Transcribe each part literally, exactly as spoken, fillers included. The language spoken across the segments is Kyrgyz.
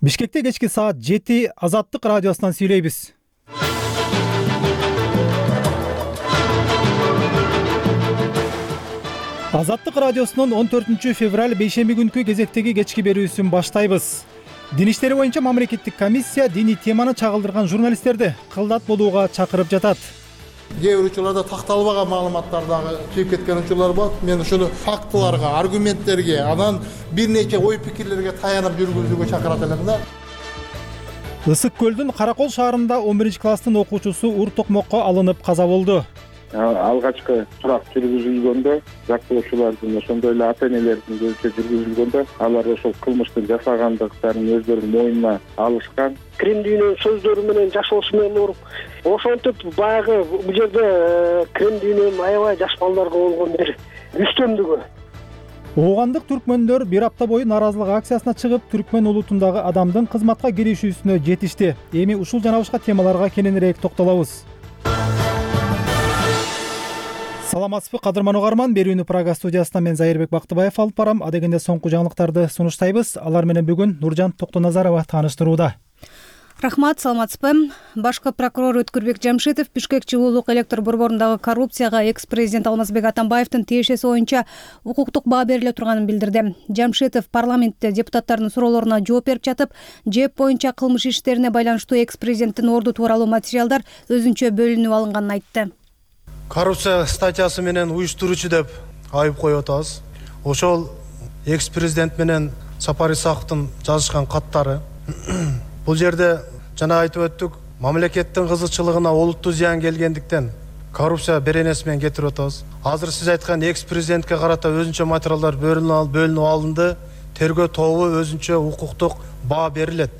Бишкекте кечки саат жети Азаттык радиосунан сүйлөйбүз. Азаттык радиосунун он төртүнчү февраль бейшемби күнкү кезектеги кечки берүүсүн баштайбыз. Дин иштери боюнча мамлекеттик комиссия диний теманы чагылдырган журналисттерди кылдат болууга чакырып жатат. Кээ бир учурларда такталбаган маалыматтар дагы чыгып кеткен учурлар болот. Мен ушуну фактыларга, аргументтерге, анан бир нече ой пикирлерге таянып жүргүзүүгө чакырат элем да. Ысык көлдүн Каракол шаарында он биринчи класстын окуучусу ур токмокко алынып каза болду. Алгачкы сурак жүргүзүлгөндө жактоочулардын ошондой эле ата энелердин көзүнчө жүргүзүлгөндө алар ошол кылмыштын жасагандыктарын өздөрүнүн моюнуна алышкан. Крем дүйнөнүн сөздөрү менен жашоосу менен уруп, ошентип баягы бул жерде крем дүйнөнүн аябай жаш балдарга болгон бир үстөмдүгү. Оогандык түркмөндөр бир апта бою нааразылык акциясына чыгып, түркмөн улутундагы адамдын кызматка киришүүсүнө жетишти. Эми ушул жана башка темаларга кененирээк токтолобуз. Саламатсызбы, кадырман угарман. Берүүнү Прага студиясынан мен Зайырбек Бактыбаев алып барам. Адегенде соңку жаңылыктарды сунуштайбыз. Алар менен бүгүн Нуржан Токтоназарова тааныштырууда. Рахмат, саламатсызбы. Башкы прокурор Өткүрбек Жамшитов Бишкек жылуулук электр борборундагы коррупцияга экс-президент Алмазбек Атамбаевдин тиешеси боюнча укуктук баа бериле турганын билдирди. Жамшитов парламентте депутаттардын суроолоруна жооп берип жатып, ЖЭП боюнча кылмыш иштерине байланыштуу экс-президенттин орду тууралуу материалдар өзүнчө бөлүнүп алынганын айтты. Коррупция статьясы менен уюштуруучу деп айып коюп атабыз. Ошол экс-президент менен Сапар Исаковдун жазышкан каттары. Бул жерде жана айтып өттүк, мамлекеттин кызыкчылыгына олуттуу зыян келгендиктен коррупция беренеси менен кетирип атабыз. Азыр сиз айткан экс-президентке карата өзүнчө материалдар бөлүнүп алынды. Тергөө тобу өзүнчө укуктук баа берилет.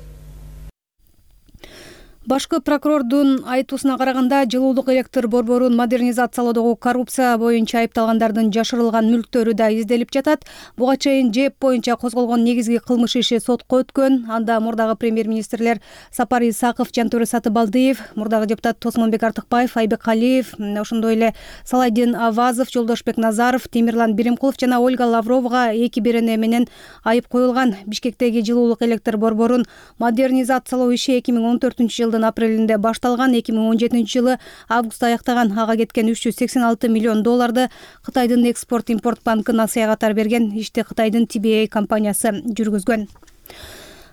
Башкы прокурордун айтуусуна караганда, жылуулук электр борборун модернизациялоодогу коррупция боюнча айыпталгандардын жашырылган мүлктөрү да изделип жатат. Буга чейин ЖЭП боюнча козголгон негизги кылмыш иши сотко өткөн. Анда мурдагы премьер-министрлер Сапар Исаков, Жантөре Сатыбалдиев, мурдагы депутат Тосмонбек Артыкбаев, Айбек Алиев, ошондой эле Салайдин Авазов, Жолдошбек Назаров, Темирлан Биримкулов жана Ольга Лавровага эки берене менен айып коюлган. Бишкектеги жылуулук электр борборун модернизациялоо иши эки миң он төртүнчү жылдын апрелинде башталган. эки миң он жетинчи жылы августта аяктаган. Ага кеткен үч жүз сексен алты миллион долларды Кытайдын экспорт-импорт банкы насыя катары берген. Ишти Кытайдын Ти Би Эй компаниясы жүргүзгөн.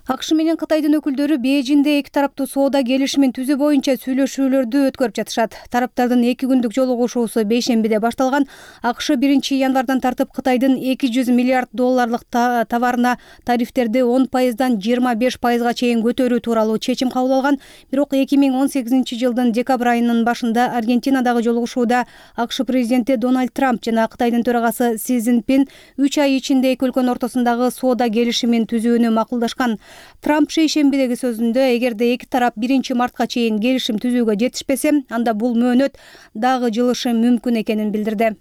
АКШ менен Кытайдын өкүлдөрү Бейжиңде эки тараптуу соода келишимин түзүү боюнча сүйлөшүүлөрдү өткөрүп жатышат. Тараптардын эки күндүк жолугушуусу бейшембиде башталган. АКШ биринчи январдан тартып Кытайдын эки жүз миллиард долларлык товарына тарифтерди он пайыздан жыйырма беш пайызга чейин көтөрүү тууралуу чечим кабыл алган. Бирок эки миң он сегизинчи жылдын декабрь айынын башында Аргентинадагы жолугушууда АКШ президенти Дональд Трамп жана Кытайдын төрагасы Си Цзиньпин үч ай ичинде эки өлкөнүн ортосундагы соода келишимин түзүүнү макулдашкан. Трамп шейшембидеги сөзүндө, эгерде эки тарап биринчи мартка чейин келишим түзүүгө жетишпесе, анда бул мөөнөт дагы жылышы мүмкүн экенин билдирди.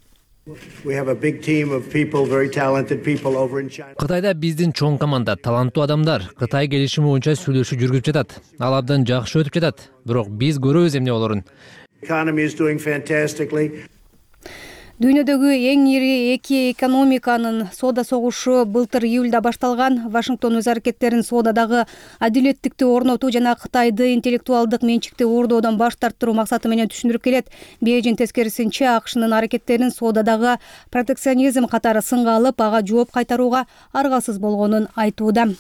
Кытайда биздин чоң команда, таланттуу адамдар Кытай келишими боюнча сүйлөшүү жүргүзүп жатат. Ал абдан жакшы өтүп жатат. Бирок биз көрөбүз эмне болорун. Дүйнөдөгү эң ири эки экономиканын соода согушу былтыр июлда башталган. Вашингтон өз аракеттерин соодадагы адилеттикти орнотуу жана Кытайды интеллектуалдык менчикти уурдоодон баш тарттыруу максаты менен түшүндүрүп келет. Бейжиң тескерисинче АКШнын аракеттерин соодадагы протекционизм катары сынга алып, ага жооп кайтарууга аргасыз болгонун айтууда.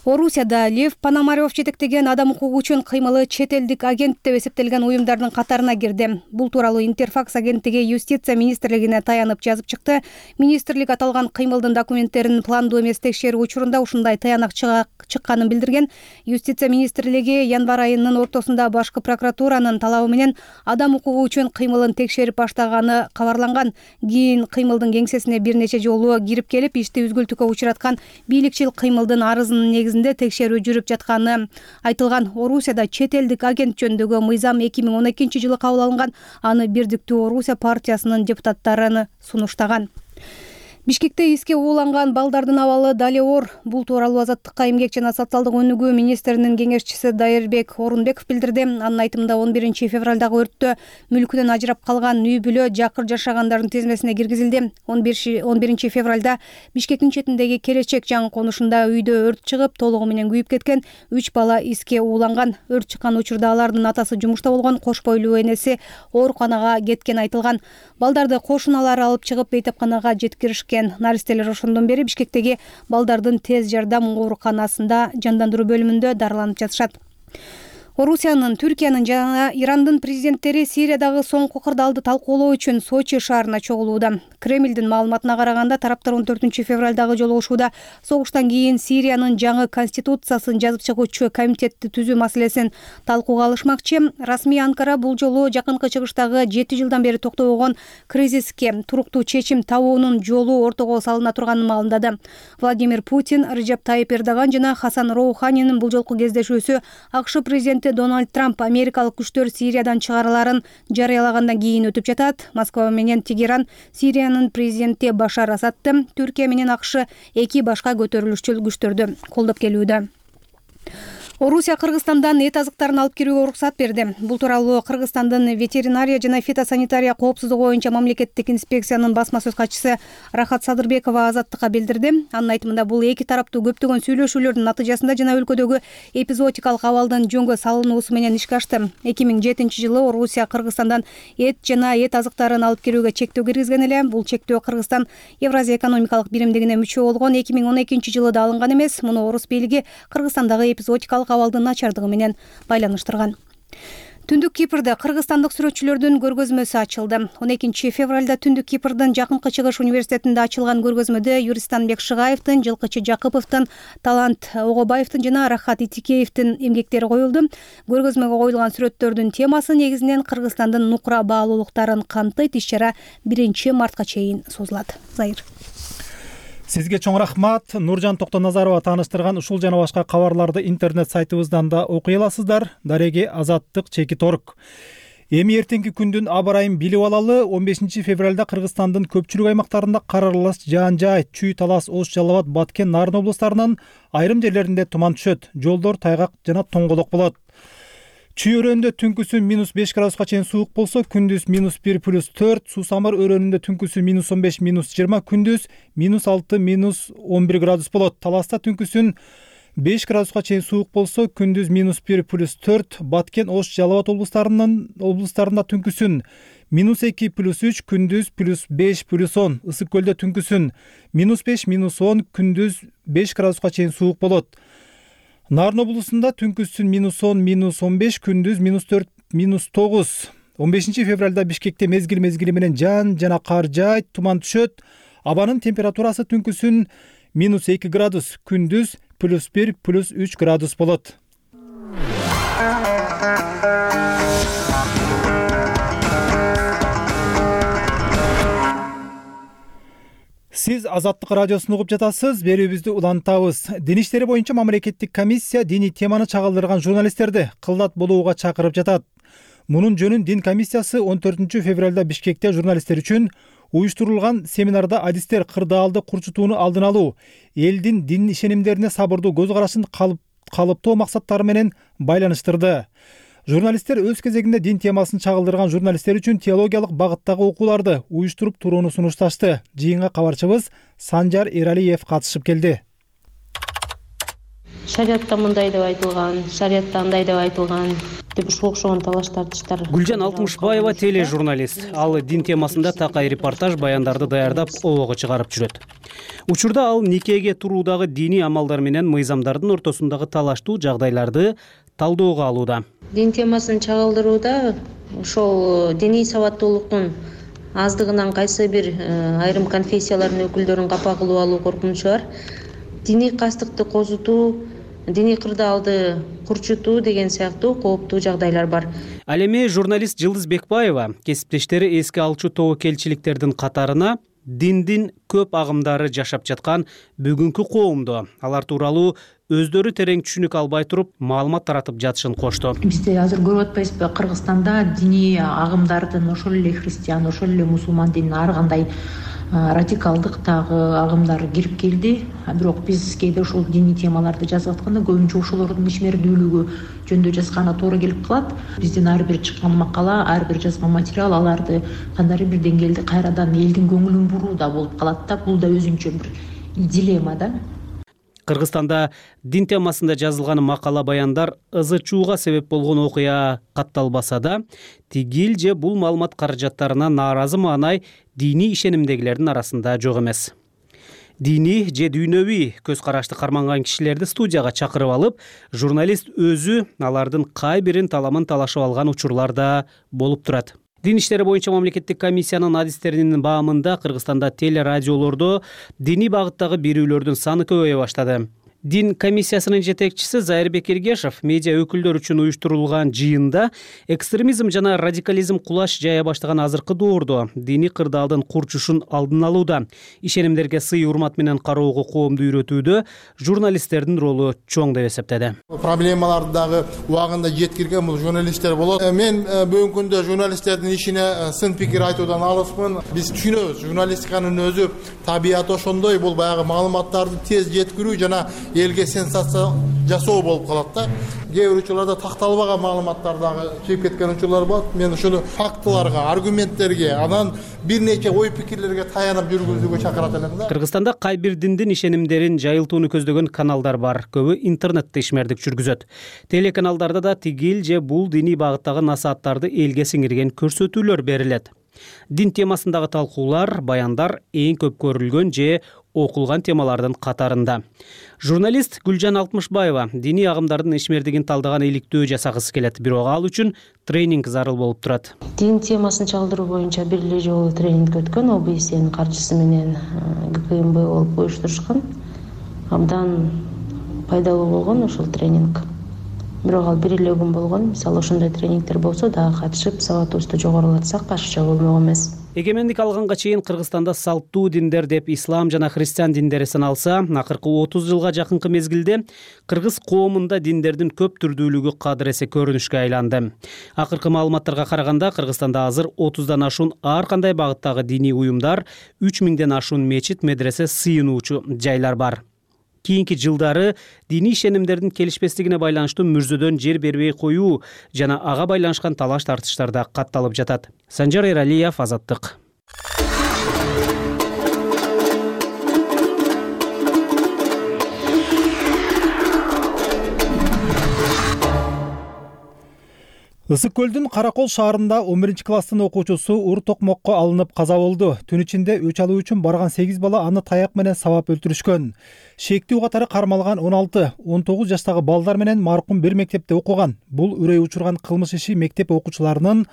Орусияда Лев Пономарев жетектеген адам укугу үчүн кыймылы чет элдик агент деп эсептелген уюмдардын катарына кирди. Бул тууралуу Интерфакс агенттиги Юстиция министрлигине таянып жазып чыкты. Министрлик аталган кыймылдын документтерин пландуу эмес текшерүү учурунда ушундай таянак чыкканын билдирген. Юстиция министрлиги январь айынын ортосунда башкы прокуратуранын талабы менен адам укугу үчүн кыймылын текшерип баштаганы кабарланган. Кийин кыймылдын кеңсесине бир нече жолу кирип келип, ишти үзгүлтүккө учураткан бийликчил кыймылдын арызынын негизинде текшерүү жүрүп жатканы айтылган. Орусияда чет элдик агент жөнүндөгү мыйзам эки миң он экинчи жылы кабыл алынган. Аны Бирдиктүү Орусия партиясынын депутаттары сунуштаган. Бишкекте эске ууланган балдардын абалы дали оор. Бул тууралуу Азаттыкка эмгек жана социалдык өнүгүү министринин кеңешчиси Дайырбек Орунбеков билдирди. Анын айтымында он биринчи февралдагы өрттө мүлкүнөн ажырап калган үй бүлө жакыр жашагандардын тизмесине киргизилди. он биринчи февралда Бишкектин четиндеги Келечек жаңы конушунда үйдө өрт чыгып, толугу менен күйүп кеткен үч бала эске ууланган. Өрт чыккан учурда алардын атасы жумушта болгон, кош бойлуу энеси ооруканага кеткени айтылган. Балдарды кошуналары алып чыгып бейтапканага жеткиришкен. Наристелер ошондон бери Бишкектеги балдардын тез жардам ооруканасында жандандыруу бөлүмүндө дарыланып жатышат. Орусиянын, Түркиянын жана Ирандын президенттери Сириядагы соңку кырдаалды талкуулоо үчүн Сочи шаарына чогулууда. Кремлдин маалыматына караганда тараптар он төртүнчү февралдагы жолугушууда согуштан кийин Сириянын жаңы конституциясын жазып чыгуучу комитетти түзүү маселесин талкууга алышмакчы. Расмий Анкара бул жолу жакынкы чыгыштагы жети жылдан бери токтобогон кризиске туруктуу чечим табуунун жолу ортого салына турганын маалымдады. Владимир Путин, Режеп Тайип Эрдоган жана Хасан Роуханинин бул жолку кездешүүсү АКШ президенти Дональд Трамп америкалык күчтөр Сириядан чыгарыларын жарыялагандан кийин өтүп жатат. Москва менен Тегеран Сириянын президенти Башар Асадты, Түркия менен АКШ эки башка көтөрүлүшчү күчтөрдү колдоп келүүдө. Орусия Кыргызстандан эт азыктарын алып кирүүгө уруксат берди. Бул тууралуу Кыргызстандын ветеринария жана фитосанитария коопсуздугу боюнча мамлекеттик инспекциянын басма сөз катчысы Рахат Садырбекова Азаттыкка билдирди. Анын айтымында бул эки тараптуу көптөгөн сүйлөшүүлөрдүн натыйжасында жана өлкөдөгү эпизоотикалык абалдын жөнгө салынуусу менен ишке ашты. эки миң жетинчи жылы Орусия Кыргызстандан эт жана эт азыктарын алып кирүүгө чектөө киргизген эле. Бул чектөө Кыргызстан Евразия экономикалык биримдигине мүчө болгон эки миң он экинчи жылы да алынган эмес. Муну орус бийлиги Кыргызстандагы эпизоотикалык абалдын начардыгы менен байланыштырган. Түндүк Кипрде кыргызстандык сүрөтчүлөрдүн көргөзмөсү ачылды. он экинчи февралда Түндүк Кипрдин Жакынкы Чыгыш университетинде ачылган көргөзмөдө Юристанбек Шыгаевдин, Жылкычы Жакыповдун, Талант Огобаевдин жана Рахат Итикеевдин эмгектери коюлду. Көргөзмөгө коюлган сүрөттөрдүн темасы негизинен Кыргызстандын нукура баалуулуктарын камтыйт. Иш-чара биринчи мартка чейин созулат. Зайыр. Сизге чоң рахмат. Нуржан Токтоназарова тааныштырган ушул жана башка кабарларды интернет сайтыбыздан да окуй аласыздар. Дареги Азаттык Чекит орг. Эми эртеңки күндүн аба ырайын билип алалы. он бешинчи февралда Кыргызстандын көпчүлүк аймактарында кар аралаш жаан-жай, Чүй, Талас, Ош, Жалал Абад, Баткен, Нарын облустарынын айрым жерлеринде туман түшөт. Жолдор тайгак жана тоңголок болот. Чүй өрөөнүндө түнкүсү минус беш градуска чейин суук болсо, күндүз минус бир плюс төрт, Сусамыр өрөөнүндө түнкүсү минус он беш минус жыйырма, күндүз минус алты минус он бир градус болот. Таласта түнкүсүн беш градуска чейин суук болсо, күндүз минус бир плюс төрт, Баткен, Ош, Жалал Абад облустарынын облустарында түнкүсүн минус эки плюс үч, күндүз плюс беш плюс он, Ысык көлдө түнкүсүн минус беш минус он, күндүз беш градуска чейин суук болот. Нарын облусунда түнкүсүн минус он минус он беш, күндүз минус төрт минус тогуз. он бешинчи февралда Бишкекте мезгил мезгили менен жаан жана кар жаайт, туман түшөт. Абанын температурасы түнкүсүн минус эки градус, күндүз плюс бир плюс үч градус болот. Сиз Азаттык радиосун угуп жатасыз. Берүүбүздү улантабыз. Дин иштери боюнча мамлекеттик комиссия диний теманы чагылдырган журналисттерди кылдат болууга чакырып жатат. Мунун жөнүн Дин комиссиясы он төртүнчү февралда Бишкекте журналисттер үчүн уюштурулган семинарда адистер кырдаалды курчутууну алдын алуу, элдин дин ишенимдерине сабырдуу көз карашын калыптоо максаттары менен байланыштырды. Журналисттер өз кезегинде дин темасын чагылдырган журналисттер үчүн теологиялык багыттагы окууларды уюштуруп турууну сунушташты. Жыйынга кабарчыбыз Санжар Эралиев катышып келди. Шариатта мындай деп айтылган, шариатта андай деп айтылган деп ушуга окшогон талаш тартыштар. Гүлжан Алтымышбаева теле журналист. Ал дин темасында такай репортаж баяндарды даярдап обого чыгарып жүрөт. Учурда ал никеге туруудагы диний амалдар менен мыйзамдардын ортосундагы талаштуу жагдайларды талоого алууда. Дин темасын чагылдырууда ошол диний сабаттуулуктун аздыгынан кайсы бир айрым конфессиялардын өкүлдөрүн капа кылып алуу коркунучу бар. Диний кастыкты козутуу, диний кырдаалды курчутуу деген сыяктуу кооптуу жагдайлар бар. Ал эми журналист Жылдыз Бекбаева кесиптештери эске алчу тобокелчиликтердин катарына диндин көп агымдары жашап жаткан бүгүнкү коомду, алар тууралуу өздөрү терең түшүнүк албай туруп маалымат таратып жатышын кошту. Бизде азыр көрүп атпайсызбы, Кыргызстанда диний агымдардын ошол эле христиан, ошол эле мусулман динин ар кандай радикалдык дагы агымдар кирип келди. Бирок биз кээде ушул диний темаларды жазып атканда көбүнчө ошолордун ишмердүүлүгү жөнүндө жазгана туура келип калат. Биздин ар бир чыккан макала, ар бир жазган материал аларды кандайдыр бир деңгээлде кайрадан элдин көңүлүн буруу да болуп калат да. Бул да өзүнчө бир дилемма да. Кыргызстанда дин темасында жазылган макала баяндар ызы чууга себеп болгон окуя катталбаса да, тигил же бул маалымат каражаттарына нааразы маанай диний ишенимдегилердин арасында жок эмес. Диний же дүйнөвүй көз карашты карманган кишилерди студияга чакырып алып, журналист өзү алардын кай бирин таламын талашып алган учурлар да болуп турат. Дин иштери боюнча мамлекеттик комиссиянын адистеринин баамында Кыргызстанда телерадиолордо диний багыттагы берүүлөрдүн саны көбөйө баштады. Дин комиссиясынын жетекчиси Зайырбек Эргешев медиа өкүлдөр үчүн уюштурулган жыйында экстремизм жана радикализм кулаш жая баштаган азыркы доордо диний кырдаалдын курчушун алдын алууда, ишенимдерге сый урмат менен кароого коомду үйрөтүүдө журналисттердин ролу чоң деп эсептеди. Проблемаларды дагы убагында жеткирген бул журналисттер болот. Мен бүгүнкү күндө журналисттердин ишине сын пикир айтуудан алыспын. Биз түшүнөбүз, журналистиканын өзү табияты ошондой, бул баягы маалыматтарды тез жеткирүү жана элге сенсация жасоо болуп калат да. Кээ бир учурларда такталбаган маалыматтар дагы чыгып кеткен учурлар болот. Мен ушуну фактыларга, аргументтерге, анан бир нече ой пикирлерге таянып жүргүзүүгө чакырат элем да. Кыргызстанда кай бир диндин ишенимдерин жайылтууну көздөгөн каналдар бар. Көбү интернетте ишмердик жүргүзөт. Телеканалдарда да тигил же бул диний багыттагы насааттарды элге сиңирген көрсөтүүлөр берилет. Дин темасындагы талкуулар, баяндар эң көп көрүлгөн же окулган темалардын катарында. Журналист Гүлжан Алтмышбаева диний агымдардын ишмердигин талдаган иликтөө жасагысы келет, бирок ал үчүн тренинг зарыл болуп турат. Дин темасын чалдыруу боюнча бир эле жолу тренинг өткөн, О Б С'нин каржысы менен Г К М Б болуп уюштурушкан. Абдан пайдалуу болгон ушул тренинг. Бирок ал бир эле күн болгон. Мисалы ошондой тренингдер болсо дагы катышып, сабатыбызды жогорулатсак ашыкча болмок эмес. Эгемендик алганга чейин Кыргызстанда салттуу диндер деп ислам жана христиан диндери саналса, акыркы отуз жылга жакынкы мезгилде кыргыз коомунда диндердин көп түрдүүлүгү кадыр эсе көрүнүшкө айланды. Акыркы маалыматтарга караганда Кыргызстанда азыр отуздан ашуун ар кандай багыттагы диний уюмдар, үч миңден ашуун мечит, медресе, сыйынуучу жайлар бар. Кийинки жылдары диний ишенимдердин келишпестигине байланыштуу мүрзөдөн жер бербей коюу жана ага байланышкан талаш тартыштар да катталып жатат. Санжар Эралиев, Азаттык. Ысык көлдүн Каракол шаарында он биринчи класстын окуучусу ур токмокко алынып каза болду. Түн ичинде өч алуу үчүн барган сегиз бала аны таяк менен сабап өлтүрүшкөн. Шектүү катары кармалган он алты он тогуз жаштагы балдар менен маркум бир мектепте окуган. Бул үрөй учурган кылмыш иши мектеп окуучуларынын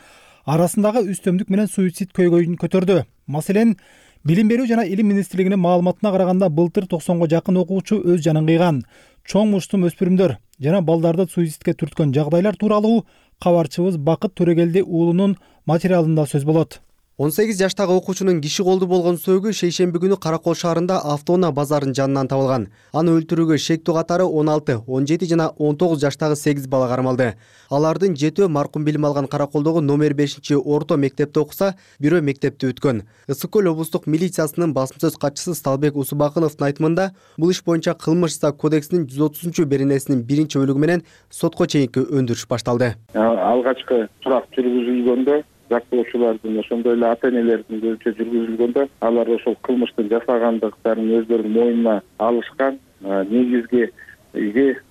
арасындагы үстөмдүк менен суицид көйгөйүн көтөрдү. Маселен, Билим берүү жана илим министрлигинин маалыматына караганда былтыр токсонго жакын окуучу өз жанын кыйган. Чоң муштум өспүрүмдөр жана балдарды суицидке түрткөн жагдайлар тууралуу кабарчыбыз Бакыт Төрөгелди уулунун материалында сөз болот. он сегиз жаштагы окуучунун киши колду болгон сөөгү шейшемби күнү Каракол шаарында автоунаа базарынын жанынан табылган. Аны өлтүрүүгө шектүү катары он алты, он жети жана он тогуз жаштагы сегиз бала кармалды. Алардын жетөө маркум билим алган Караколдогу номер бешинчи орто мектепте окуса, бирөө мектепти бүткөн. Ысык көл облустук милициясынын басым сөз катчысы Сталбек Усубакыновдун айтымында, бул иш боюнча кылмыш иши кодексинин жүз отузунчу беренесинин биринчи бөлүгү менен сотко чейинки өндүрүш башталды. Алгачкы сурак жүргүзүлгөндө жактоочулардын ошондой эле ата энелердин көзүнчө жүргүзүлгөндө алар ошол кылмыштын жасагандыктарын өздөрүнүн мойнуна алышкан. Негизги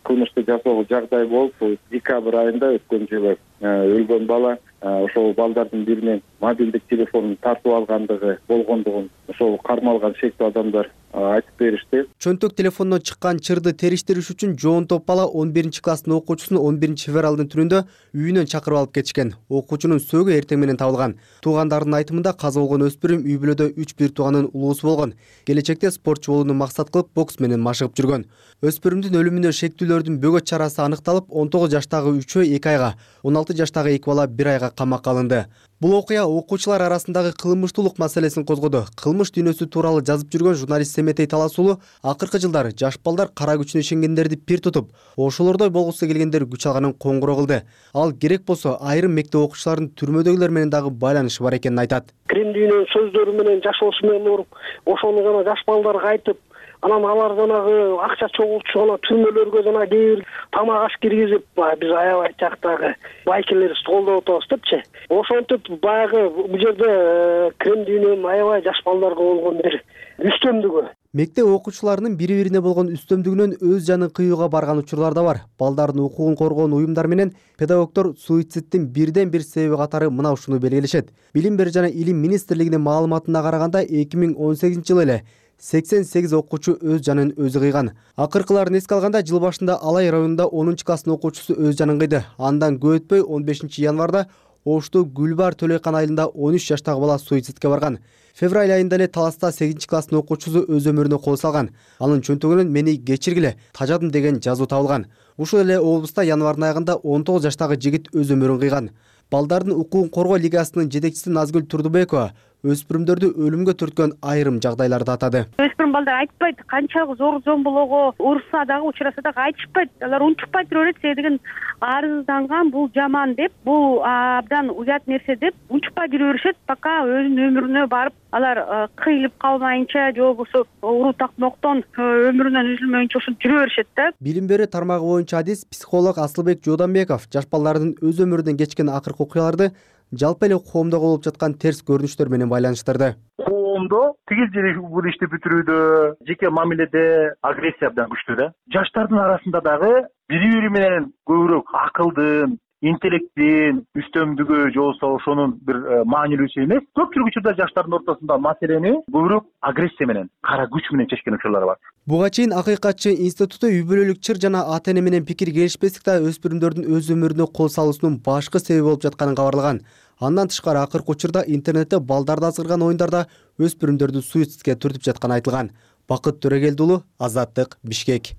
кылмышты жасоого жагдай болуп, декабрь айында өткөн жылы өлгөн бала ошол балдардын биринен мобилдик телефонун тартып алгандыгы болгондугун ошол кармалган шектүү адамдар айтып беришти. Чөнтөк телефондон чыккан чырды териштириш үчүн жоон топ бала он биринчи класстын окуучусун он биринчи февралдын түнүндө үйүнөн чакырып алып кетишкен. Окуучунун сөөгү эртең менен табылган. Туугандардын айтымында каза болгон өспүрүм үй бүлөдө үч бир тууганын улуусу болгон. Келечекте спортчу болууну максат кылып бокс менен машыгып жүргөн. Өспүрүмдүн өлүмүнө шектүүлөрдүн бөгөт чарасы аныкталып, он тогуз жаштагы үчөө эки айга, он алты жаштагы эки бала бир айга камакка алынды. Бул окуя окуучулар арасындагы кылмыштуулук маселесин козгоду. Кылмыш дүйнөсү тууралуу жазып жүргөн журналист Семетей Таласуулу акыркы жылдары жаш балдар кара күчүнө ишенгендерди пир тутуп, ошолордой болгусу келгендер күч алганын коңгуроо кылды. Ал керек болсо айрым мектеп окуучуларынын түрмөдөгүлөр менен дагы байланышы бар экенин айтат. Крем дүйнөнүн сөздөрү менен жашоосу менен уруп, ошону гана жаш балдарга айтып, анан алар жанагы акча чогултуп гана түрмөлөргө жана кээ бир тамак аш киргизип, биз аябай жактагы байкелерибизди колдоп атабыз депчи. Ошентип баягы бул жерде крем дүйнөнүн аябай жаш балдарга болгон бир үстөмдүгү. Мектеп окуучуларынын бири-бирине болгон үстөмдүгүнөн өз жанын кыюуга барган учурлар да бар. Балдардын укугун коргоон уюмдар менен педагогдор суицидтин бирден бир себеби катары мына ушуну белгилешет. Билим берүү жана илим министрлигинин маалыматына караганда эки миң он сегизинчи жылы эле сексен сегиз окуучу өз жанын өзү кыйган. Акыркыларын эске алганда жыл башында Алай районунда онунчу класстын окуучусу өз жанын кыйды. Андан көп өтпөй он бешинчи январда Ошту Гүлбар Төлөйкан айылында он үч жаштагы бала суицидке барган. Февраль айында эле Таласта сегизинчи класстын окуучусу өз өмүрүнө кол салган. Анын чөнтөгүнөн "Мени кечиргиле, тажадым" деген жазуу табылган. Ушул эле облуста январдын айында он тогуз жаштагы жигит өз өмүрүн кыйган. Балдардын укугун коргоо лигасынын жетекчиси Назгүл Турдубекова өспүрүмдөрдү өлүмгө түрткөн айрым жагдайларды атады. Өспүрүм балдар айтпайт, канчалык зор зомбулоого урса дагы, учураса дагы айтышпайт. Алар унчукпай тура берет, себебин арызданган бул жаман деп, бул абдан уят нерсе деп унчукпай жүрө беришет, пока өзүнүн өмүрүнө барып алар кыйылып калмайынча, же болбосо уруу тактмоктон өмүрүнөн үзүлмөйүнчө ушинтип жүрө беришет да. Билим берүү тармагы боюнча адис психолог Асылбек Жууданбеков жаш балдардын өз өмүрүнөн кечкен акыркы окуяларды жалпы эле коомдо болуп жаткан терс көрүнүштөр менен байланыштырды. Коомдо тигиз жери бул ишти бүтүрүүдө, жеке мамиледе агрессия абдан күчтүү да. Жаштардын арасында дагы бири-бири менен көбүрөөк акылдын, интеллекттин үстөмдүгү же болбосо ошонун бир маанилүүсү эмес. Көпчүлүк учурда жаштардын ортосунда маселени көбүрөөк агрессия менен, кара күч менен чечкен учурлар бар. Буга чейин Акыйкатчы институту үй бүлөлүк чыр жана ата-эне менен пикир келишпестик да өспүрүмдөрдүн өз өмүрүнө кол салуусунун башкы себеби болуп жатканын кабарлаган. Андан тышкары акыркы учурда интернетте балдарды азгырган оюндарда өспүрүмдөрдү суицидке түртүп жатканы айтылган. Бакыт Төрөгелди уулу, Азаттык, Бишкек.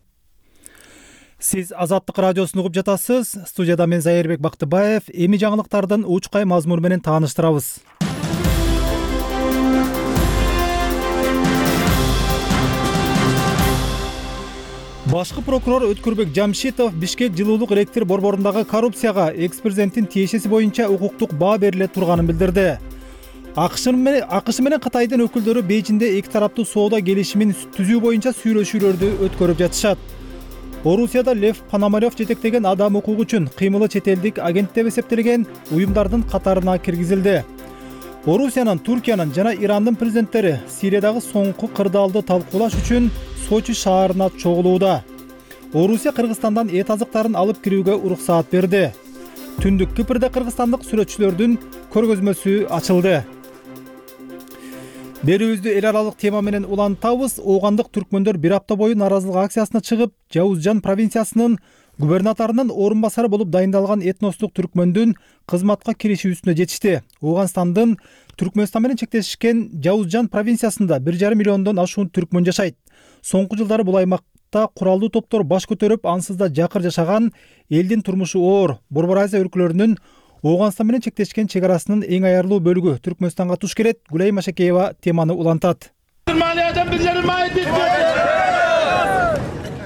Сиз Азаттык радиосун угуп жатасыз. Студияда мен Зайырбек Бактыбаев. Эми жаңылыктардын учкай мазмуну менен тааныштырабыз. Башкы прокурор Өткүрбек Жамшитов Бишкек жылуулук электр борборундагы коррупцияга экс-президенттин тиешеси боюнча укуктук баа бериле турганын билдирди. АКШ менен Кытайдын өкүлдөрү Бейжиңде эки тараптуу соода келишимин түзүү боюнча сүйлөшүүлөрдү өткөрүп жатышат. Орусияда Лев Пономарев жетектеген адам укугу үчүн кыймылы чет элдик агент деп эсептелген уюмдардын катарына киргизилди. Орусиянын, Туркиянын жана Ирандын президенттери Сириядагы соңку кырдаалды талкуулаш үчүн Сочи шаарына чогулууда. Орусия Кыргызстандан эт азыктарын алып кирүүгө уруксаат берди. Түндүк Кипрде кыргызстандык сүрөтчүлөрдүн көргөзмөсү ачылды. Берүүбүздү эл аралык тема менен улантабыз. Оогандык түркмөндөр бир апта бою нааразылык акциясына чыгып, Жаузжан провинциясынын губернаторунун орун басары болуп дайындалган этностук түркмөндүн кызматка киришүүсүнө жетишти. Оогандын Түркмөнстан менен чектешкен Жаузжан провинциясында бир жарым миллиондон ашуун түркмөн жашайт. Соңку жылдары бул аймакта куралдуу топтор баш көтөрүп, ансыз да жакыр жашаган элдин турмушу оор. Борбор Азия өлкөлөрүнүн Оогандстан менен чектешкен чек арасынын эң аярлуу бөлүгү Түркмөнстанга туш келет. Гүлай Машакеева теманы улантат.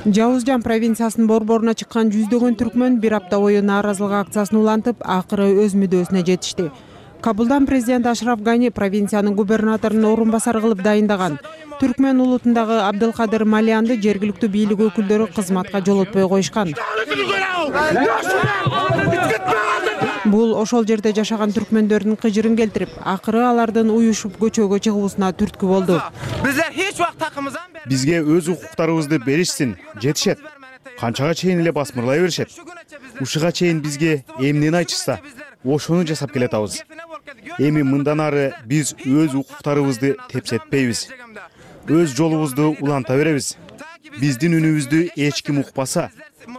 Жаузжан провинциясынын борборуна чыккан жүздөгөн түркмөн бир апта бою нааразылык акциясын улантып, акыры өз мүдөөсүнө жетишти. Кабулдан президент Ашраф Гани провинциянын губернаторунун орун басары кылып дайындаган. Түркмөн улутундагы Абдылкадыр Малиянды жергиликтүү бийлик өкүлдөрү кызматка жолотпой коюшкан. Бул ошол жерде жашаган түркмөндөрдүн кыжырын келтирип, акыры алардын уюшуп көчөгө чыгуусуна түрткү болду. Биздер эч убакт такымыздан бизге өз укуктарыбызды беришсин, жетишет. Канчага чейин эле басмырлай беришет. Ушуга чейин бизге эмнени айтышса, ошону жасап келатабыз. Эми мындан ары биз өз укуктарыбызды тепсетпейбиз. Өз жолубузду уланта беребиз. Биздин үнүбүздү эч ким укпаса,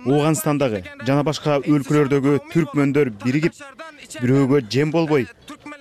Оогандстандагы жана башка өлкөлөрдөгү түркмөндөр биригип, бирөөгө жем болбой,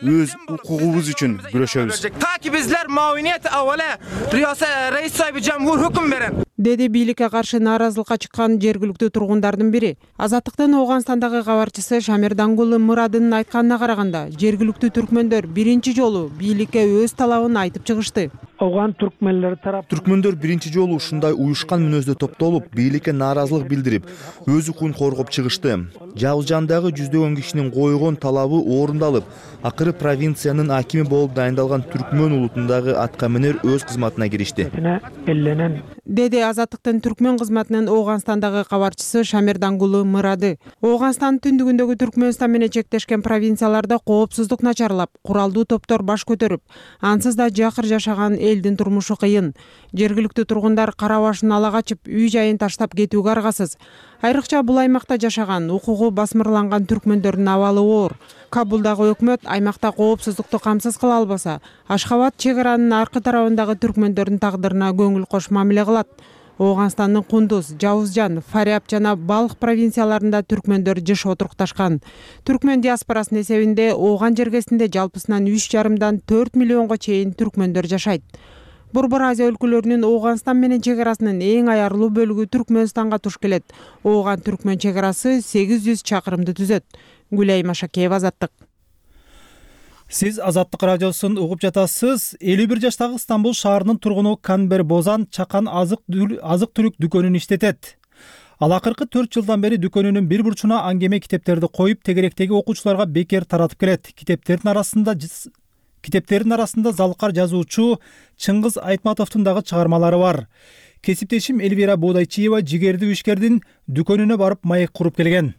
өз укугубуз үчүн күрөшөбүз. Таки bizler mavuniyet avvala riyasa reis sahibi cumhur hüküm veren. деди бийликке каршы нааразылыкка чыккан жергиликтүү тургундардын бири. Азаттыктын Ооганстандагы кабарчысы Шамер Дангулы Мурадынын айтканына караганда, жергиликтүү түркмөндөр биринчи жолу бийликке өз талабын айтып чыгышты. Оған түркмөнлөр тарап Түркмөндөр биринчи жолу ушундай уюшкан мүнөздө топтолуп, бийликке нааразылык билдирип, өз укугун коргоп чыгышты. Жалгыз жандагы жүздөгөн кишинин койгон талабы орундалып, акыры провинциянын акими болуп дайындалган түркмөн улутундагы аткаминер өз кызматына киришти. Деди Азаттыктын түркмөн кызматынын Ооганстандагы кабарчысы Шамер Дангулы Мырады. Ооганстандын түндүгүндөгү Түркмөнстан менен чектешкен провинцияларда коопсуздук начарлап, куралдуу топтор баш көтөрүп, ансыз да жакыр жашаган элдин турмушу кыйын. Жергиликтүү тургундар кара башын ала качып, үй жайын таштап кетүүгө аргасыз. Айрыкча бул аймакта жашаган, укугу басмырланган түркмөндөрдүн абалы оор. Кабулдагы өкмөт аймакта коопсуздукту камсыз кыла албаса, Ашхабад чек аранын аркы тарабындагы түркмөндөрдүн тагдырына көңүл кош мамиле кылат. Ооганстандын Кундуз, Жавызжан, Фаряб жана Балх провинцияларында түркмөндөр жыш отурукташкан. Түркмөн диаспорасынын эсебинде Ооган жергесинде жалпысынан үч жарымдан төрт миллионго чейин түркмөндөр жашайт. Борбор Азия өлкөлөрүнүн Ооганстан менен чек арасынын эң аярлуу бөлүгү Түркмөнстанга туш келет. Ооган түркмөн чек арасы сегиз жүз чакырымды түзөт. Гүлай Машакеева, Азаттык. Сиз Азаттык радиосун угуп жатасыз. элүү бир жаштагы Стамбул шаарынын тургуну Канбер Бозан чакан азык түлүк дүкөнүн иштетет. Ал акыркы төрт жылдан бери дүкөнүнүн бир бурчуна аңгеме китептерди коюп, тегеректеги окуучуларга бекер таратып келет. Китептердин арасында Китептердин арасында залкар жазуучу Чыңгыз Айтматовдун дагы чыгармалары бар. Кесиптешим Эльвира Боодайчиева жигердүү ишкердин дүкөнүнө барып маек куруп келген.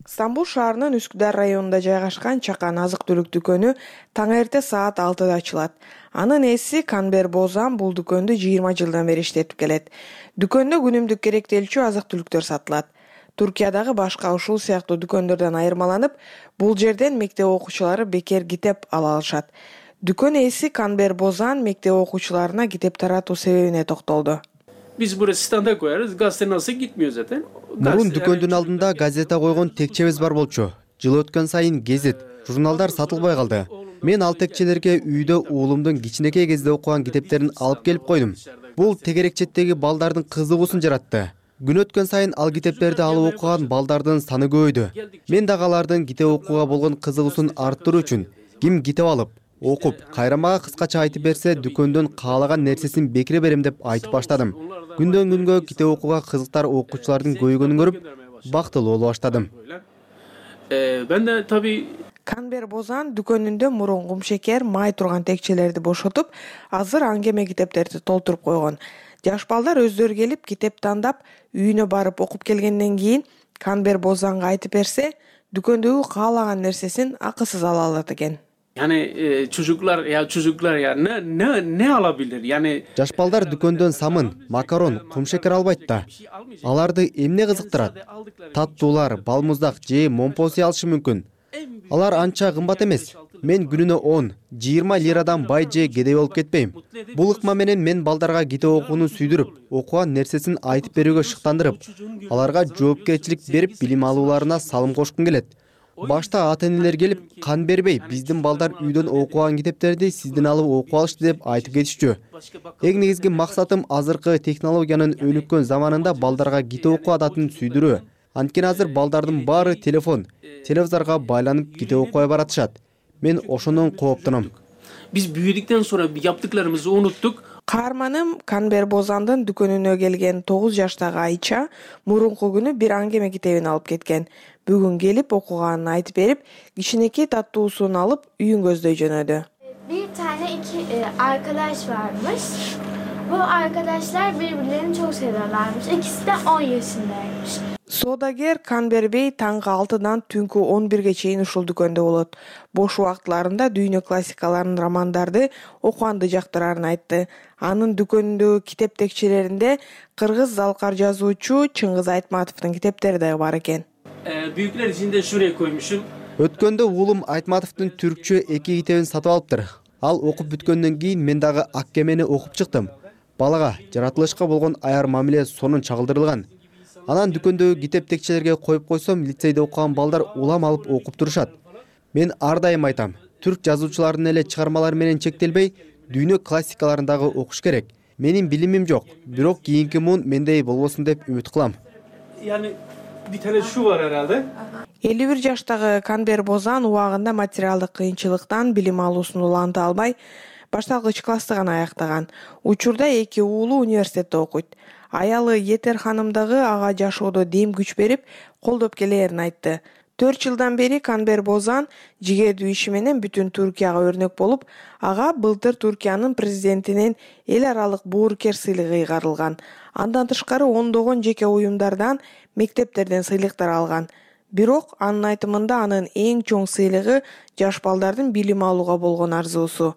Стамбул шаарынын Үскүдар районунда жайгашкан чакан азык-түлүк дүкөнү таң эрте саат алтыда ачылат. Анын ээси Канбер Бозан бул дүкөндү жыйырма жылдан бери иштетип келет. Дүкөндө күнүмдүк керектелчү азык-түлүктөр сатылат. Туркиядагы башка ушул сыяктуу дүкөндөрдөн айырмаланып, бул жерден мектеп окуучулары бекер китеп ала алышат. Дүкөн ээси Канбер Бозан мектеп окуучуларына китеп таратуу себебине токтолду. Biz burası standa koyarız. Gazete nasıl gitmiyor zaten. Мурун дүкөндүн алдында газета койгон текчебиз бар болчу. Жыл өткөн сайын гезит, журналдар сатылбай калды. Мен ал текчелерге үйдө уулумдун кичинекей кезде окуган китептерин алып келип койдум. Бул тегерекчеттеги балдардын кызыгуусун жаратты. Күн өткөн сайын ал китептерди алып окуган балдардын саны көбөйдү. Мен дагы алардын китеп окууга болгон кызыгуусун арттыруу үчүн ким китеп алып, окуп, кайра мага кыскача айтып берсе, дүкөндөн каалаган нерсесин бекире берем деп айтып баштадым. Күндөн күнгө китеп окууга кызыктар окуучулардын көбөйгөнүн көрүп, бактылуу боло баштадым. Ben de tabii Канбер Бозан дүкөнүндө мурун кумшекер, май турган текчелерди бошотуп, азыр аңгеме китептерди толтуруп койгон. Жаш балдар өздөрү келип китеп тандап, үйүнө барып окуп келгенден кийин Канбер Бозанга айтып берсе, дүкөндөгү каалаган нерсесин акысыз ала алат экен. Yani e, çocuklar ya çocuklar ya ne ne ne alabilir? Yani Жаш балдар дүкөндөн самын, макарон, кумшекер албайт да. Аларды эмне кызыктырат? Таттуулар, балмуздак же момпоси алышы мүмкүн. Алар анча кымбат эмес. Мен күнүнө он, жыйырма лирадан бай же кедей болуп кетпейм. Бул ыкма менен мен балдарга китеп окууну сүйдүрүп, окуган нерсесин айтып берүүгө шыктандырып, аларга жоопкерчилик берип, билим алууларына салым кошкум келет. Башта ата-энелер келип, кан бербей, биздин балдар үйдөн окуган китептерди сизден алып окуп алышты деп айтып кетишчү. Эң негизги максатым азыркы технологиянын өнүккөн заманында балдарга китеп окуу адатын сүйдүрүү. Анткени азыр балдардын баары телефон, телевизорго байланып китеп окубай баратышат. Мен ошондон кооптунам. Biz büyüdükten sonra yaptıklarımızı unuttuk. Каарманым Канбер Бозандын дүкөнүнө келген тогуз жаштагы Айча мурунку күнү бир аңгеме китебин алып кеткен. Бүгүн келип окуганын айтып берип, кичинекей таттуусун алып үйүн көздөй жөнөдү. Bir tane iki e, arkadaş varmış. Bu arkadaşlar birbirlerini çok seviyorlarmış. İkisi de on yaşındaymış. Содагер Канбер Бей таңкы алтыдан түнкү он бирге чейин ушул дүкөндө болот. Бош убактыларында дүйнө классикаларын, романдарды окуганды жактырарын айтты. Анын дүкөнүндөгү китеп текчелеринде кыргыз залкар жазуучу Чыңгыз Айтматовдун китептери да бар экен. Ee, büyükler için de şuraya koymuşum. Өткөндө уулум Айтматовдун түркчө эки китебин сатып алыптыр. Ал окуп бүткөндөн кийин мен дагы Аккемени окуп чыктым. Балага жаратылышка болгон аяр мамиле сонун чагылдырылган. Анан дүкөндөгү китеп текчелерге коюп койсом, лицейде окуган балдар улам алып окуп турушат. Мен ар дайым айтам, түрк жазуучуларынын эле чыгармалары менен чектелбей, дүйнө классикаларын дагы окуш керек. Менин билимим жок, бирок кийинки муун мендей болбосун деп үмүт кылам. Yani bir tane şu var herhalde. элүү бир жаштагы Канбер Бозан убагында материалдык кыйынчылыктан билим алуусун уланта албай, башталгыч классты гана аяктаган. Учурда эки уулу университетте окуйт. Аялы Етер ханым дагы ага жашоодо дем күч берип, колдоп келээрин айтты. төрт жылдан бери Канбер Бозан жигердүү иши менен бүтүн Туркияга өрнөк болуп, ага былтыр Туркиянын президентинен эл аралык боорукер сыйлыгы ыйгарылган. Андан тышкары ондогон жеке уюмдардан, мектептерден сыйлыктар алган. Бирок анын айтымында анын эң чоң сыйлыгы жаш балдардын билим алууга болгон арзуусу.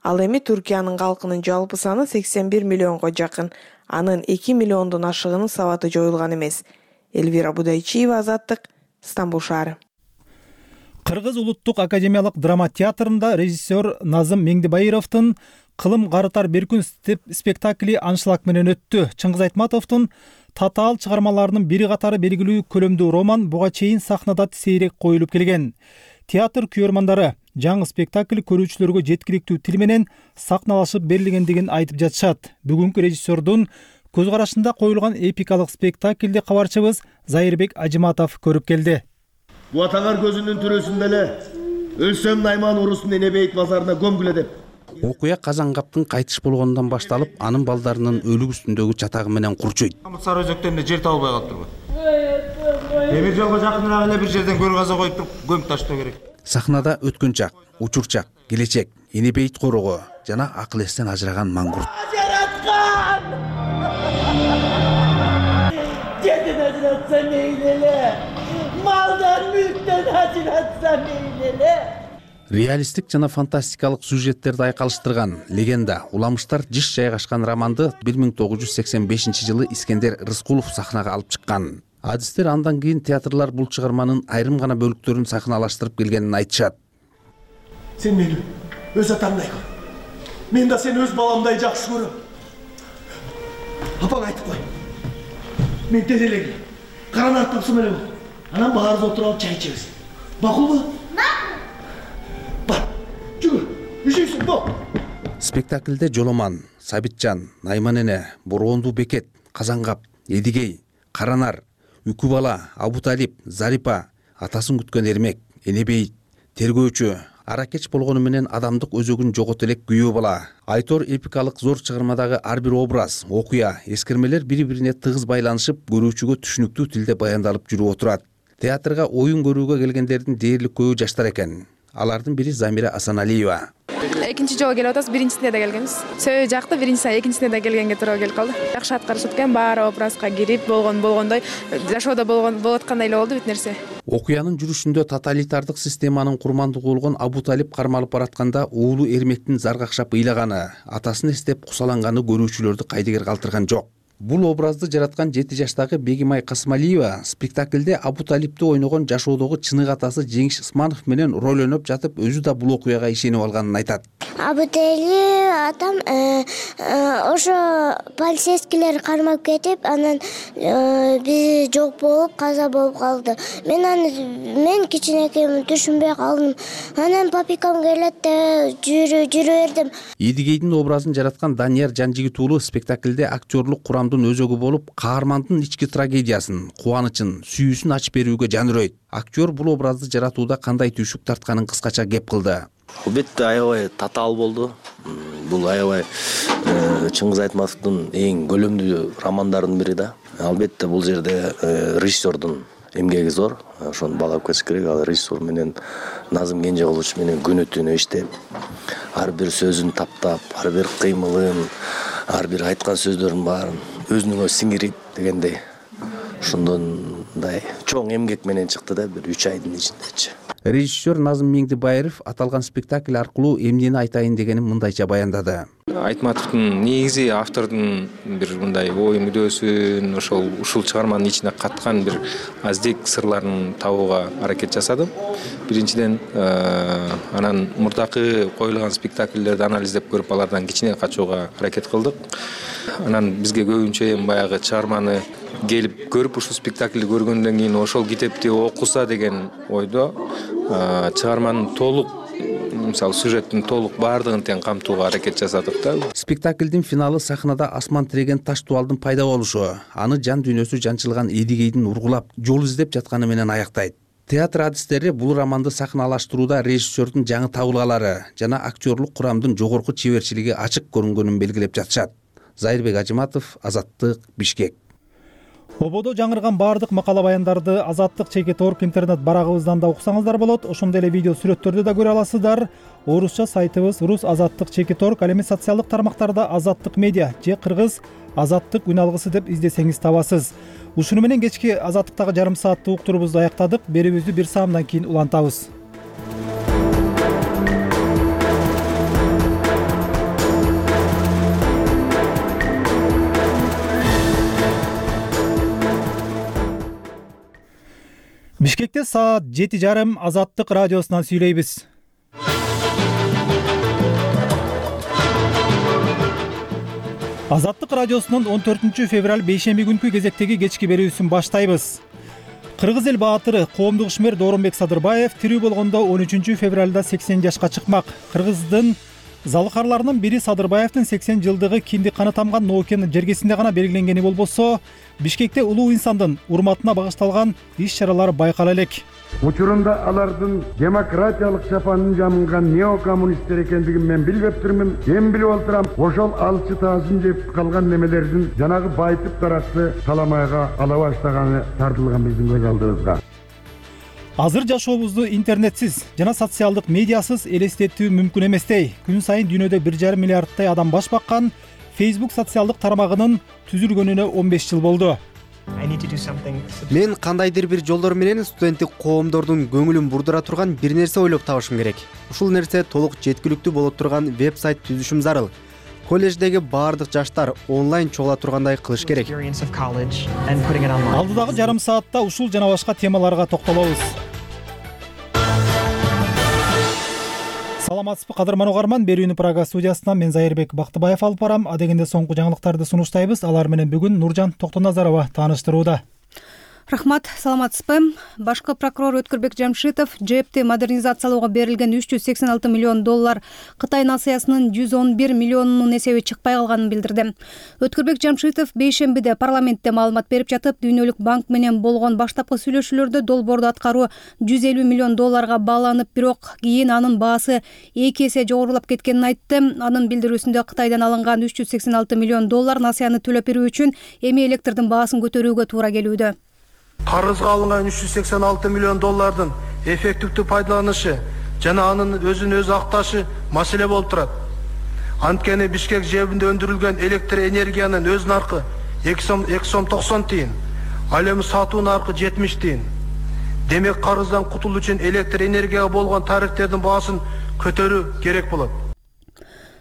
Ал эми Туркиянын калкынын жалпы саны сексен бир миллионго жакын. Анын эки миллиондон ашыгынын сабаты жоюлган эмес. Элвира Будайчиева, Азаттык, Стамбул шаары. Кыргыз улуттук академиялык драма театрында режиссер Назым Меңдибайыровдун Кылым карытар бир күн спектакли аншлаг менен өттү. Чыңгыз Айтматовдун татаал чыгармаларынын бири катары белгилүү көлөмдүү роман буга чейин сахнада сейрек коюлуп келген. Театр күйөрмандары жаңы спектакль көрүүчүлөргө жеткиликтүү тил менен сахналашып берилгендигин айтып жатышат. Бүгүнкү режиссердун көз карашында коюлган эпикалык спектаклди кабарчыбыз Зайырбек Ажыматов көрүп келди. Бу атаңар көзүнүн түрөсүндө эле өлсөм Найман урусун Энебейт базарына көмгүлө деп. Окуя Казангаптын кайтыш болгондон башталып, анын балдарынын өлүк үстүндөгү чатагы менен курчуйт. Сары өзөктөрүндө жер табылбай калып турбу. Эмир жолго жакыныраак эле бир жерден көр каза коюп туруп көмүп таштоо керек. Сахнада өткөн чак, учур чак, келечек, Энебейт корого жана акыл эстен ажыраган маңгурт. Жараткан! Жетин ажыратса мейлеле. Малдан мүлктөн ажыратса мейлеле. Реалистик жана фантастикалык сюжеттерди айкалыштырган легенда Уламыштар жыш жайгашкан романды бир миң тогуз жүз сексен бешинчи жылы Искендер Рыскулов сахнага алып чыккан. Адистер андан кийин театрлар бул чыгарманын айрым гана бөлүктөрүн сахналаштырып келгенин айтышат. Сен мени өз атамдай көр. Мен да сени өз баламдай жакшы көрөм. Апаң айтып кой. Мен тезелеги. Каранат тапсам эле болду. Анан баарыбыз отуруп алып чай ичебиз. Макулбу? Спектакльде Жоломан, Сабитжан, Найман эне, Бороондуу Бекет, Казангап, Эдигей, Каранар, Үкү бала, Абуталип, Зарипа, атасын күткөн Эрмек, Энебейт, тергөөчү, аракеч болгону менен адамдык өзөгүн жогото элек күйөө бала. Айтор эпикалык зор чыгармадагы ар бир образ, окуя, эскермелер бири-бирине тыгыз байланышып, көрүүчүгө түшүнүктүү тилде баяндалып жүрүп отурат. Театрга оюн көрүүгө келгендердин дээрлик көбү жаштар экен. Алардын бири Замира Асаналиева. Экинчи жолу келип атабыз, биринчисинде да келгенбиз. Сөйү жакты, биринчисинде, экинчисинде да келгенге туура келип калды. Жакшы аткарышып экен, баары образга кирип, болгон болгондой, жашоодо болгон болуп аткандай эле болду бүт нерсе. Окуянын жүрүшүндө тоталитардык системанын курмандыгы болгон Абуталип кармалып баратканда уулу Эрмектин заргакшап ыйлаганы, атасын эстеп кусаланганы көрүүчүлөрдү кайдыгер калтырган жок. Бул образды жараткан жети жаштагы Бегимай Касмалиева спектакльде Абуталипти ойногон жашоодогу чынык атасы Жеңиш Ысманов менен роль ойноп жатып, өзү да бул окуяга ишенип алганын айтат. Абуталип атам ошо полицейскийлер кармап кетип, анан биз жок болуп, каза болуп калды. Мен аны мен кичинекеймин, түшүнбөй калдым. Анан папикам келет деп жүрү жүрү бердим. Эдигейдин образын жараткан Данияр Жанжигит уулу спектакльде актерлук курам өзөгү болуп, каармандын ички трагедиясын, кубанычын, сүйүүсүн ачып берүүгө жаныройт. Актер бул образды жаратууда кандай түйшүк тартканын кыскача кеп кылды. Албетте аябай татаал болду. Бул аябай Чыңгыз Айтматовдун эң көлөмдүү романдарынын бири да. Албетте бул жерде режиссердун эмгеги зор. Ошону баалап кетиш керек. Ал режиссер менен Назым Кенжеголович менен күнү түнү иштеп, ар бир сөзүн таптап, ар бир кыймылын, ар бир айткан сөздөрүн баарын өзүнүн өзү сиңирип дегендей ошондой чоң эмгек менен чыкты да, бир үч айдын ичиндечи. Режиссер Назым Меңдибаев аталган спектакль аркылуу эмнени айтайын дегенин мындайча баяндады. Айтматовдун негизи автордун бир мындай ой мүдөөсүн, ошол ушул чыгарманын ичине каткан бир аздек сырларын табууга аракет жасадым. Биринчиден, анан мурдакы коюлган спектакльдерди анализдеп көрүп, алардан кичине качууга аракет кылдык. Анан бизге көбүнчө эми баягы чыгарманы келип көрүп, ушул спектаклди көргөндөн кийин ошол китепти окуса деген ойдо чыгарманын толук мисалы сюжеттин толук баардыгын тең камтууга аракет жасадык да. Спектаклдин финалы сахнада асман тиреген таш дубалдын пайда болушу, аны жан дүйнөсү жанчылган Эдигейдин ургулап, жол издеп жатканы менен аяктайт. Театр адистери бул романды сахналаштырууда режиссердун жаңы табылгалары жана актерлук курамдын жогорку чеберчилиги ачык көрүнгөнүн белгилеп жатышат. Зайырбек Ажыматов, Азаттык, Бишкек. Ободо жаңырган баардык макала баяндарды Азаттык чекит орг интернет барагыбыздан да уксаңыздар болот. Ошондой эле видео сүрөттөрдү да көрө аласыздар. Орусча сайтыбыз рус азаттык чекит орг, ал эми социалдык тармактарда Азаттык медиа же кыргыз Азаттык үн алгысы деп издесеңиз табасыз. Ушуну менен кечки Азаттыктагы жарым сааттык уктурубузду аяктадык. Берүүбүздү бир саамдан кийин улантабыз. Бишкекте саат жети жарым Азаттык радиосунан сүйлөйбүз. Азаттык радиосунун он төртүнчү февраль бейшемби күнкү кезектеги кечки берүүсүн баштайбыз. Кыргыз эл баатыры коомдук ишмер Дооронбек Садырбаев тирүү болгондо он үчүнчү февралда сексен жашка чыкмак. Кыргыздын залыкарларынын бири Садырбаевдин сексен жылдыгы кинди каны тамган Ноокенин жергесинде гана белгиленгени болбосо, Бишкекте улуу инсандын урматына багышталган иш-чаралар байкала элек. Учурунда алардын демократиялык чапанын жамынган неокоммунисттер экендигин мен билбептирмин. Эми билип отурам, ошол алчы таасын жеп калган немелердин жанагы байтып таракты таламайга ала баштаганы тартылган биздин көз алдыбызга. Азыр жашообузду интернетсиз жана социалдык медиасыз элестетүү мүмкүн эместей. Күн сайын дүйнөдө бир жарым миллиардтай адам баш баккан Facebook социалдык тармагынын түзүлгөнүнө он беш жыл болду. Мен кандайдыр бир жолдор менен студенттик коомдордун көңүлүн бурдура турган бир нерсе ойлоп табышым керек. Ушул нерсе толук жеткиликтүү боло турган веб-сайт түзүшүм зарыл. Колледждеги баардык жаштар онлайн чогула тургандай кылыш керек. Алдыдагы жарым саатта ушул жана башка темаларга токтолобуз. Саламатсызбы кадырман угарман, берүүнү Прага студиясынан мен Зайырбек Бактыбаев алып барам. Адегенде соңку жаңылыктарды сунуштайбыз. Алар менен бүгүн Нуржан Токтоназарова тааныштырууда. Рахмат, саламатсызбы. Башкы прокурор Өткүрбек Жамшитов ЖЭПти модернизациялоого берилген үч жүз сексен алты миллион доллар Кытай насыясынын жүз он бир миллионунун эсеби чыкпай калганын билдирди. Өткүрбек Жамшитов бейшембиде парламентте маалымат берип жатып, Дүйнөлүк банк менен болгон баштапкы сүйлөшүүлөрдө долбоорду аткаруу жүз элүү миллион долларга бааланып, бирок кийин анын баасы эки эсе жогорулап кеткенин айтты. Анын билдирүүсүндө Кытайдан алынган үч жүз сексен алты миллион доллар насыяны төлөп берүү үчүн эми электрдин баасын көтөрүүгө туура келүүдө. Карызга алынган үч жүз сексен алты миллион доллардын эффективдүү пайдаланышы жана анын өзүн өзү акташы маселе болуп турат. Анткени Бишкек жебинде өндүрүлгөн электр энергиянын өз наркы эки сом токсон тиын, ал эми сатуу наркы жетимиш тиын. Демек карыздан кутулуу үчүн электр энергияга болгон тарифтердин баасын көтөрүү керек болот.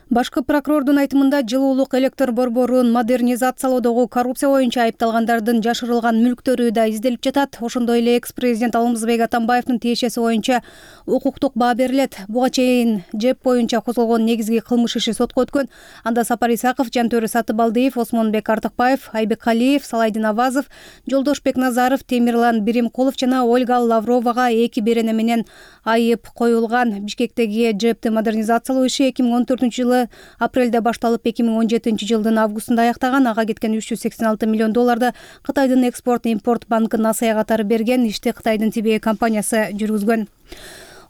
Башкы прокурордун айтымында жылуулук электр борборун модернизациялоодогу коррупция боюнча айыпталгандардын жашырылган мүлктөрү да изделип жатат. Ошондой эле экс-президент Алмазбек Атамбаевдин тиешеси боюнча укуктук баа берилет. Буга чейин ЖЭП боюнча козголгон негизги кылмыш иши сотко өткөн. Анда Сапар Исаков, Жантөрө Сатыбалдиев, Осмонбек Артыкбаев, Айбек Калиев, Салайдин Авазов, Жолдошбек Назаров, Темирлан Биримкулов жана Ольга Лавровага эки берене менен айып коюлган. Бишкектеги ЖЭПти модернизациялоо иши эки миң он төртүнчү жылы апрелде башталып эки миң он жетинчи жылдын августунда аяктаган. Ага кеткен үч жүз сексен алты миллион долларды Кытайдын экспорт-импорт банкы насыя катары берген. Ишти Кытайдын Тибей компаниясы жүргүзгөн.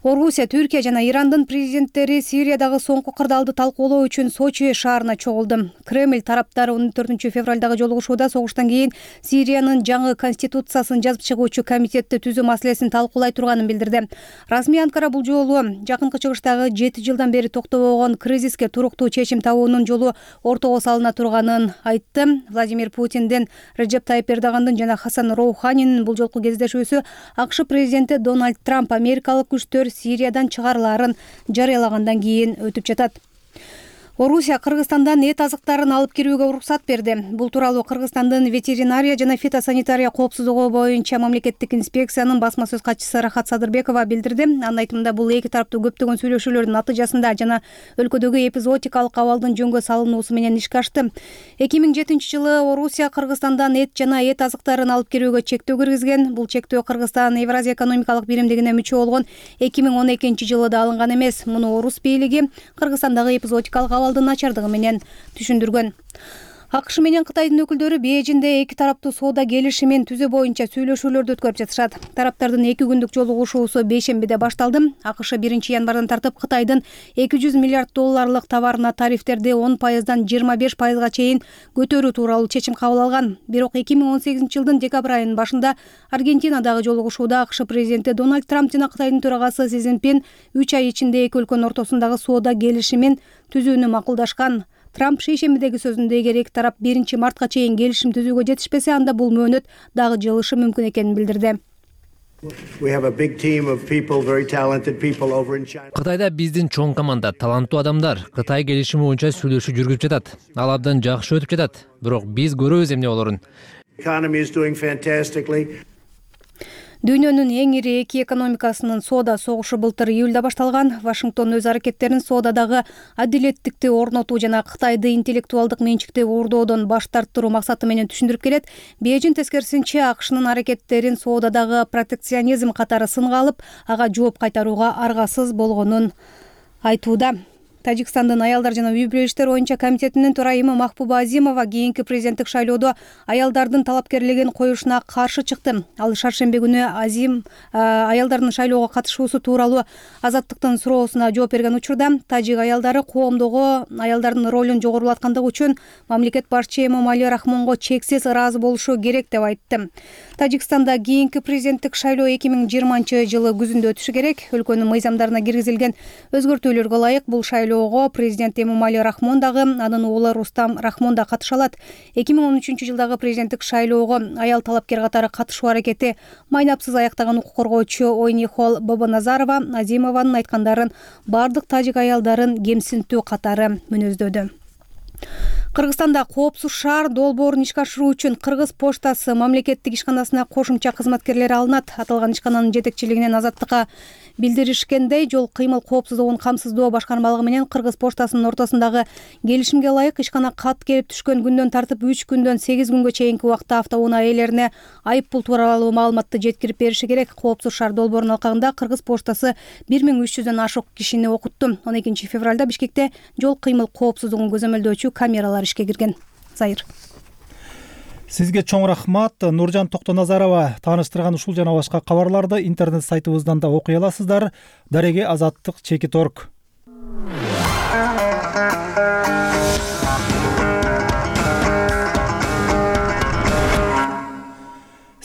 Орусия, Түркия жана Ирандын президенттери Сириядагы соңку кырдаалды талкуулоо үчүн Сочи шаарына чогулду. Кремль тараптары он төртүнчү февралдагы жолугушууда согуштан кийин Сириянын жаңы конституциясын жазып чыгуучу комитетти түзүү маселесин талкуулай турганын билдирди. Расмий Анкара бул жолу Жакынкы Чыгыштагы жети жылдан бери токтобогон кризиске туруктуу чечим табуунун жолу ортого салына турганын айтты. Владимир Путиндин, Реджеп Тайип Эрдогандын жана Хасан Роуханинин бул жолку кездешүүсү АКШ президенти Дональд Трамп америкалык күчтөр Сириядан чыгарылаарын жарыялагандан кийин өтүп жатат. Орусия Кыргызстандан эт азыктарын алып кирүүгө уруксат берди. Бул тууралуу Кыргызстандын ветеринария жана фитосанитария коопсуздугу боюнча мамлекеттик инспекциянын басма сөз катчысы Рахат Садырбекова билдирди. Анын айтымында бул эки тараптуу көптөгөн сүйлөшүүлөрдүн натыйжасында жана өлкөдөгү эпизоотикалык абалдын жөнгө салынуусу менен ишке ашты. эки миң жетинчи жылы Орусия Кыргызстандан эт жана эт азыктарын алып кирүүгө чектөө киргизген. Бул чектөө Кыргызстан Евразия экономикалык биримдигине мүчө болгон эки миң он экинчи жылы да алынган эмес. Муну Орус бийлиги Кыргызстандагы эпизоотикалык абалдын начардыгы менен түшүндүргөн. АКШ менен Кытайдын өкүлдөрү Бейжиңде эки тараптуу соода келишимин түзүү боюнча сүйлөшүүлөрдү өткөрүп жатышат. Тараптардын эки күндүк жолугушуусу бейшембиде башталды. АКШ биринчи январдан тартып Кытайдын эки жүз миллиард долларлык товарына тарифтерди он пайыздан жыйырма беш пайызга чейин көтөрүү тууралуу чечим кабыл алган. Бирок эки миң он сегизинчи жылдын декабрь айынын башында Аргентинадагы жолугушууда АКШ президенти Дональд Трамп жана Кытайдын төрагасы Си Цзиньпин үч ай ичинде эки өлкөнүн ортосундагы соода келишимин түзүүнү макулдашкан. Трамп шейшембидеги сөзүндө эгер эки тарап биринчи мартка чейин келишим түзүүгө жетишпесе, анда бул мөөнөт дагы жылышы мүмкүн экенин билдирди. Кытайда биздин чоң команда, таланттуу адамдар Кытай келишими боюнча сүйлөшүү жүргүзүп жатат. Ал абдан жакшы өтүп жатат. Бирок биз көрөбүз эмне болорун. Дүйнөнүн эң ири эки экономикасынын соода согушу былтыр июлда башталган. Вашингтон өз аракеттерин соодадагы адилеттикти орнотуу жана Кытайды интеллектуалдык менчикти уурдоодон баш тарттыруу максаты менен түшүндүрүп келет. Бейжиң тескерисинче АКШнын аракеттерин соодадагы протекционизм катары сынга алып, ага жооп кайтарууга аргасыз болгонун айтууда. Тажикстандын аялдар жана үй бүлө иштери боюнча комитетинин төрайымы Махбуба Азимова кийинки президенттик шайлоодо аялдардын талапкерлигин коюшуна каршы чыкты. Ал шаршемби күнү Азим аялдардын шайлоого катышуусу тууралуу Азаттыктын суроосуна жооп берген учурда тажик аялдары коомдогу аялдардын ролун жогорулаткандыгы үчүн мамлекет башчы Эмомали Рахмонго чексиз ыраазы болушу керек деп айтты. Тажикстанда кийинки президенттик шайлоо эки миң жыйырманчы жылы күзүндө өтүшү керек. Өлкөнүн мыйзамдарына киргизилген өзгөртүүлөргө ылайык бул шайлоо президент Эмомали Рахмон дагы, анын уулу Рустам Рахмон да катыша алат. эки миң он үчүнчү жылдагы президенттик шайлоого аял талапкер катары катышуу аракети майнапсыз аяктаган укук коргоочу Ойнихол Бабаназарова Азимованын айткандарын бардык тажик аялдарын кемсинтүү катары мүнөздөдү. Кыргызстанда коопсуз шаар долбоорун ишке ашыруу үчүн Кыргыз поштасы мамлекеттик ишканасына кошумча кызматкерлер алынат. Аталган ишкананын жетекчилигинен Азаттыкка билдиришкендей, жол кыймыл коопсуздугун камсыздоо башкармалыгы менен Кыргыз поштасынын ортосундагы келишимге ылайык ишкана кат келип түшкөн күндөн тартып үч күндөн сегиз күнгө чейинки убакта автоунаа ээлерине айып пул тууралуу маалыматты жеткирип бериши керек. Коопсуз шаар долбоорунун алкагында Кыргыз поштасы бир миң үч жүздөн ашык кишини окутту. он экинчи февралда Бишкекте жол кыймыл коопсуздугун көзөмөлдөөчү камералар ишке кирген. Зайыр. Сизге чоң рахмат. Нуржан Токтоназарова тааныштырган ушул жана башка кабарларды интернет сайтыбыздан да окуй аласыздар. Дареге азаттык чекит точка орг.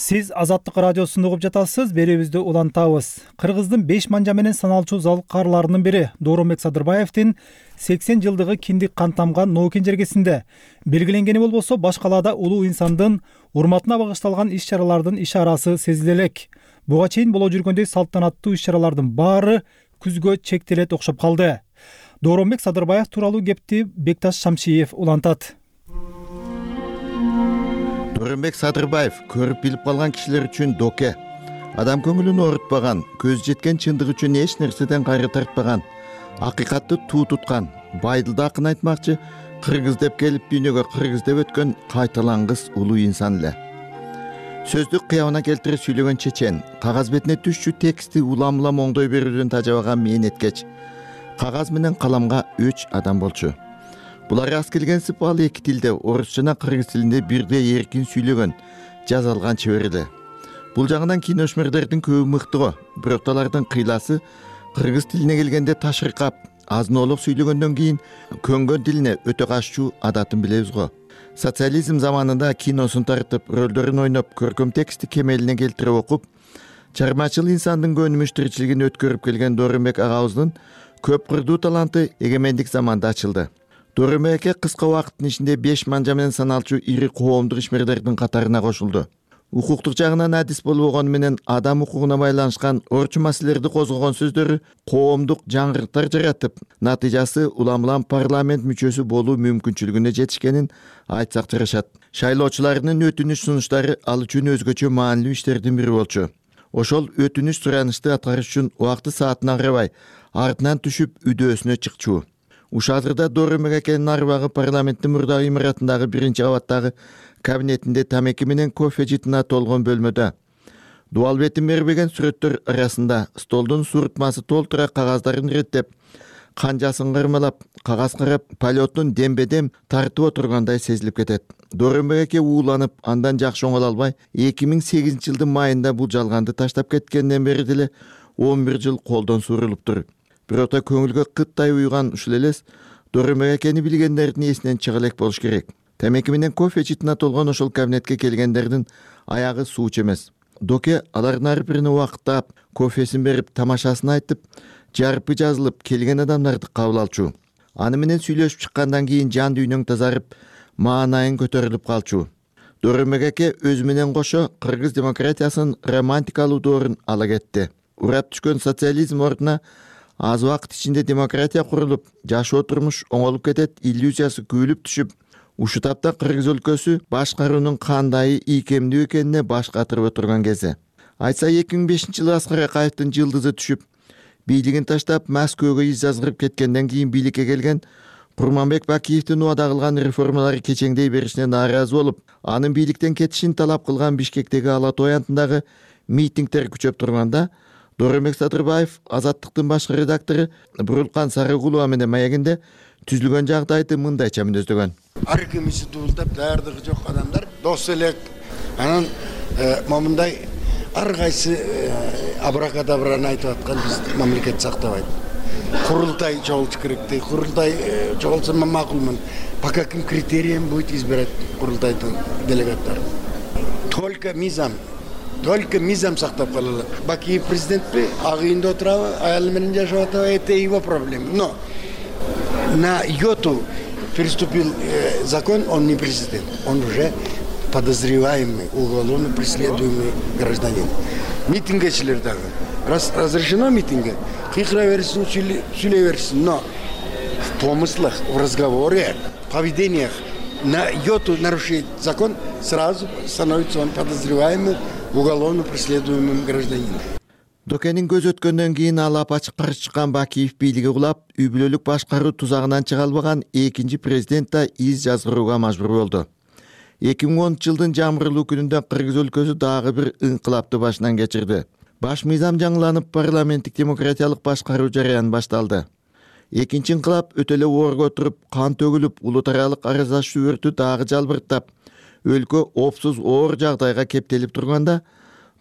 Сиз Азаттык радиосун угуп жатасыз. Берүүбүздү улантабыз. Кыргыздын беш манжа менен саналчу залкарларынын бири Дооронбек Садырбаевдин сексен жылдыгы киндик кан тамган Ноокин жергесинде белгиленгени болбосо, баш калаада улуу инсандын урматына багышталган иш-чаралардын ишарасы сезиле элек. Буга чейин боло жүргөндөй салтанаттуу иш-чаралардын баары күзгө чектелет окшоп калды. Дооронбек Садырбаев тууралуу кепти Бекташ Шамшиев улантат. Дооронбек Садырбаев көрүп билип калган кишилер үчүн доке. Адам көңүлүн оорутпаган, көз жеткен чындык үчүн эч нерседен кайры тартпаган, акыйкатты туу туткан, байдылда акын айтмакчы, кыргыз деп келип дүйнөгө кыргыз деп өткөн кайталангыс улуу инсан эле. Сөздүк кыябына келтире сүйлөгөн чечен, кагаз бетине түшчү тексти улам-улам оңдой берүүдөн тажабаган мээneткеч, кагаз менен каламга үч адам болчу. Булар аз келген сыпалы эки тилде, орус жана кыргыз тилинде бирдей эркин сүйлөгөн, жаза алган чебер эле. Бул жагынан киношмерлердин көбү мыктыго, бирок алардын кыйласы кыргыз тилине келгенде ташыркап, азын-оолук сүйлөгөндөн кийин көнгөн тилине өтө каччуу адатын билебиз го. Социализм заманында киносун тартып, рөлдөрүн ойноп, көркөм текстти кемелине келтирип окуп, чармачыл инсандын көнүмүш тиричилигин өткөрүп келген Дооронбек агабыздын көп кырдуу таланты эгемендик заманда ачылды. Дооронбек кыска убакыттын ичинде беш манжа менен саналчу ири коомдук ишмерлердин катарына кошулду. укуктук жагынан адис болгону менен адам укугуна байланышкан орчу маселелерди козгогон сөздөрү коомдук жаңгырыктар жаратып, натыйжасы улам улам парламент мүчөсү болуу мүмкүнчүлүгүнө жетишкенин айтсак жарашат. Шайлоочулардын өтүнүч сунуштары ал үчүн өзгөчө маанилүү иштердин бири болчу. Ошол өтүнүч суранышты аткарыш үчүн убакты саатына карабай артынан түшүп үйдөөсүнө чыкчу. Ушадырда Дору Мегекенин арбагы парламенттин мурдагы имаратындагы биринчи кабаттагы кабинетинде тамеки менен кофе жытына толгон бөлмөдө. Дуалбетин бербеген сүрөттөр арасында столдун суртмасы толтура кагаздарын реттеп, канжасын кырмалап, кагаз карап, полеттун дембедем тартып отургандай сезилип кетет. Дору Мегеке ууланып, андан жакшы оңоло албай, эки миң сегизинчи жылдын майында бул жалганды таштап кеткенден бери деле он бир жыл колдон сурулуптур. Бирок көңүлгө кыттай уйган ушул элес Дору Мегекени билгендердин эсинен чыга элек болуш керек. Темеки менен кофе жытына толгон ошол кабинетке келгендердин аягы сууч эмес. Доке алардын ар бирине убакыттап, кофесин берип, тамашасын айтып, жарпы жазылып келген адамдарды кабыл алчу. Аны менен сүйлөшүп чыккандан кийин жан дүйнөң тазарып, маанайың көтөрүлүп калчу. Дору Мегеке өзү менен кошо кыргыз демократиясынын романтикалуу доорун ала кетти. Урап түшкөн социализм ордуна аз убакыт ичинде демократия курулуп, жашоо турмуш оңолуп кетет иллюзиясы күйүлүп түшүп, ушу тапта Кыргыз өлкөсү башкаруунун кандай ийкемдүү экенине баш катырып отурган кези. Айтса эки миң бешинчи жылы Аскар Акаевдин жылдызы түшүп, бийлигин таштап Москвага из жазгырып кеткенден кийин бийликке келген Курманбек Бакиевдин убада кылган реформалары кечеңдей беришине нааразы болуп, анын бийликтен кетишин талап кылган Бишкектеги Ала Тоо аянтындагы митингдер күчөп турганда, Дооронбек Садырбаев, Азаттыктын башкы редактору Бурулкан Сарыгулова менен маегинде түзүлгөн жагдайды мындайча мүнөздөгөн. Ар кимиси дуулдап, даярдыгы жок адамдар дос элек. Анан момундай ар кайсы абракадабраны айтып аткан биз мамлекет сактабайт. Курултай чогулуш керекти. Курултай чогулса макулмун. По каким критериям будет избирать курултайдын делегаттарын? Только мизам. Только мизам сактап калалы. Бакиев президентпи, ак үйүндө отурабы, аялы менен жашап атабы, это его проблема. Но на йоту переступил э, закон, он не президент, он уже подозреваемый, уголовно преследуемый гражданин. Митингечилер дагы. Раз разрешено митинге, кыйкыра берсин, сүйлөй берсин, но в помыслах, в разговоре, поведениях на йоту нарушить закон, сразу становится он подозреваемым, уголовно преследуемым гражданином. Докенин көз өткөндөн кийин ал апачык каршы чыккан Бакиев бийлиги кулап, үй бүлөлүк башкаруу тузагынан чыга албаган экинчи президент да из жазгырууга мажбур болду. эки миң онунчу жылдын жамырлуу күнүндө Кыргыз өлкөсү дагы бир инкылапты башынан кечирди. Баш мыйзам жаңыланып, парламенттик демократиялык башкаруу жараяны башталды. Экинчи инкылап өтө эле оорго туруп, кан төгүлүп, улут аралык араздашуу өртү дагы жалбырттап, өлкө опсуз оор жагдайга кептелип турганда,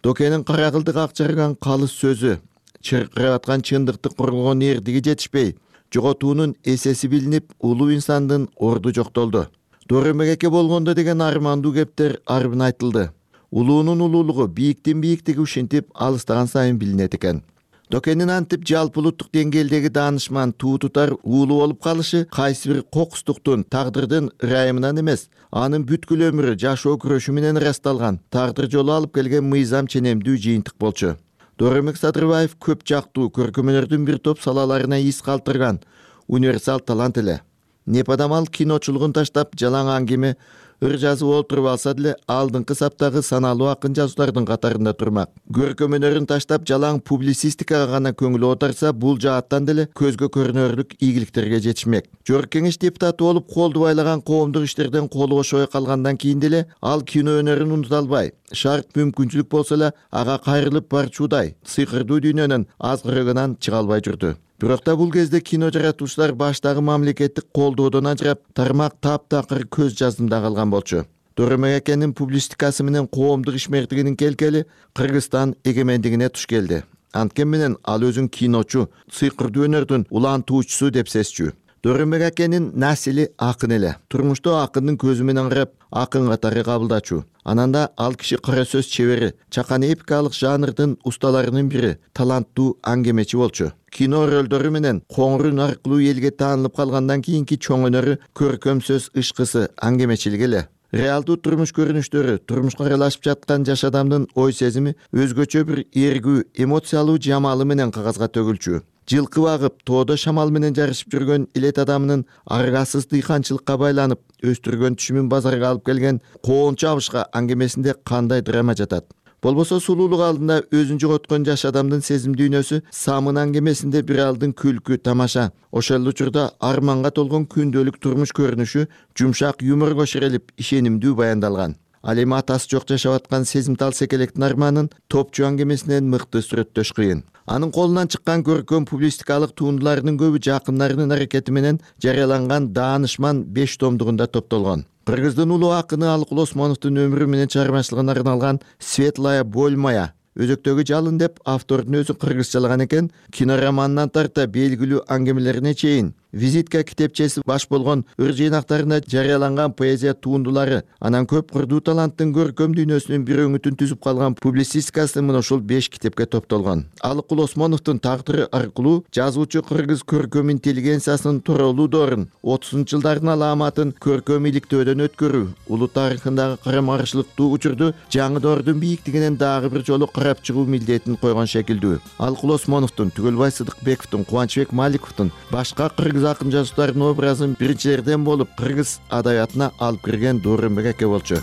Докенин кара кылдык ак жарган калыс сөзү, чыркырап аткан чындыкты коргогон эрдиги жетишпей, жоготуунун эсеси билинип, улуу инсандын орду жоктолду. Дору Мегеке болгондо деген армандуу кептер арбын айтылды. Улуунун улуулугу, бийиктин бийиктиги ушинтип алыстаган сайын билинет экен. Докенин антип жалпы улуттук деңгээлдеги даанышман, туу тутар уулу болуп калышы кайсы бир кокустуктун, тагдырдын ырайымынан эмес, анын бүткүл өмүрү жашоо күрөшү менен ырасталган, тагдыр жолу алып келген мыйзам ченемдүү жыйынтык болчу. Дооронбек Садырбаев көп жактуу көркөмөнөрдүн бир топ салаларына из калтырган универсал талант эле. Непадамал киночулугун таштап, жалаң аңгеме, ыр жазып олтуруп алса деле алдыңкы саптагы саналуу акын жазуулардын катарында турмак. Көркөмөнөрүн таштап, жалаң публицистикага гана көңүл оодарса, бул жааттан деле көзгө көрүнөрлүк ийгиликтерге жетишмек. Жогорку кеңеш депутаты болуп, колду байлаган коомдук иштерден колу бошобой калгандан кийин деле ал кино өнөрүн унута албай, шарт мүмкүнчүлүк болсо эле ага кайрылып барчуудай сыйкырдуу дүйнөнүн азгырыгынан чыга албай жүрдү. Бирок да бул кезде кино жаратуучулар баштагы мамлекеттик колдоодон ажырап, тармак таптакыр көз жаздымда калган болчу. Дору Мегекенин публистикасы менен коомдук ишмердигинин келкели Кыргызстан эгемендигине туш келди. Анткени менен ал өзүн киночу, сыйкырдуу өнөрдүн улантуучусу деп сезчү. Дору Мегекенин насили акын эле. Турмушта акындын көзү менен карап, акын катары кабылдачу. Ананда ал киши кара сөз чебери, чакан эпикалык жанрдын усталарынын бири, таланттуу аңгемечи болчу. Кино рөлдөрү менен коңурун аркылуу элге таанылып калгандан кийинки чоң өнөрү көркөм сөз ышкысы, аңгемечилик эле. реалдуу турмуш көрүнүштөрү, турмушка аралашып жаткан жаш адамдын ой сезими өзгөчө бир эргүү, эмоциялуу жамалы менен кагазга төгүлчү. Жылкы багып, тоодо шамал менен жарышып жүргөн илет адамынын аргасыз дыйканчылыкка байланып өстүргөн түшүмүн базарга алып келген коончу абышка аңгемесинде кандай драма жатат? Болбосо сулуулук алдында өзүн жоготкон жаш адамдын сезим дүйнөсү Самын аңгемесинде бир алдын күлкү, тамаша, ошол учурда арманга толгон күндөлүк турмуш көрүнүшү жумшак юморго ширелип, ишенимдүү баяндалган. Ал эми атасы жок жашап аткан сезимтал секелектин арманын топчу аңгемесинен мыкты сүрөттөш кыйын. Анын колунан чыккан көркөм публистикалык туындыларынын көбү жакындарынын аракети менен жарыяланган Даанышман беш томдугунда топтолгон. Кыргыздын улуу акыны Алыкул Осмоновдун өмүрү менен чыгармачылыгына арналган Светлая боль моя өзөктөгү жалын деп автордун өзү кыргызчалаган экен. Кинороманынан тарта белгилүү аңгемелерине чейин визитка китепчеси баш болгон ыр жыйнактарында жарыяланган поэзия туындылары, анан көп курдуу таланттын көркөм дүйнөсүнүн бир өңүтүн түзүп калган публицистикасы мына ушул беш китепке топтолгон. Алыкул Осмоновдун тагдыры аркылуу жазуучу кыргыз көркөм интеллигенциясынын тууралуу доорун, отузунчу жылдардын аламатын көркөм иликтөөдөн өткөрүү, улут тарыхындагы карама каршылыктуу учурду жаңы доордун бийиктигинен дагы бир жолу карап чыгуу милдетин койгон шекилдүү. Алыкул Осмоновдун, Түгөлбай Сыдыкбековдун, Кубанычбек Маликовдун башка кыргыз акын жазуучулардын образын биринчилерден болуп кыргыз адабиятына алып кирген Дооронбек аке болчу.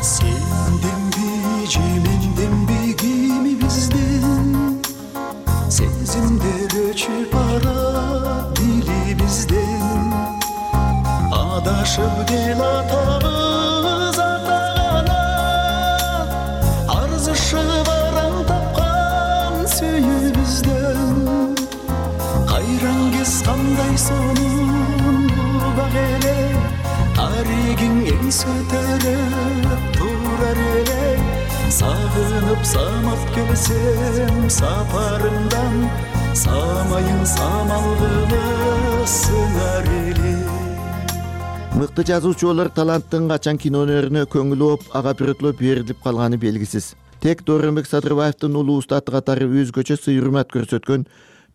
Сенденби же менденби кими бизден, сезимдер өчүп барат дилибизден, адашып кел атабыз атагана, арзышып араң тапкан сүйүүбүздөн, кайраң кез кандай сонун бак эле, таригиң эңсе көтөрүп турар эле, сагынып самап келсем сапарымдан, самайын самал кылып сыңар эле. Мыкты жазуучу болор таланттын качан кино өнөрүнө көңүл оп, ага бирөтлөө берилип калганы белгисиз. Тек Дооронбек Садырбаевдин улуу устаты катары өзгөчө сый-урмат көрсөткөн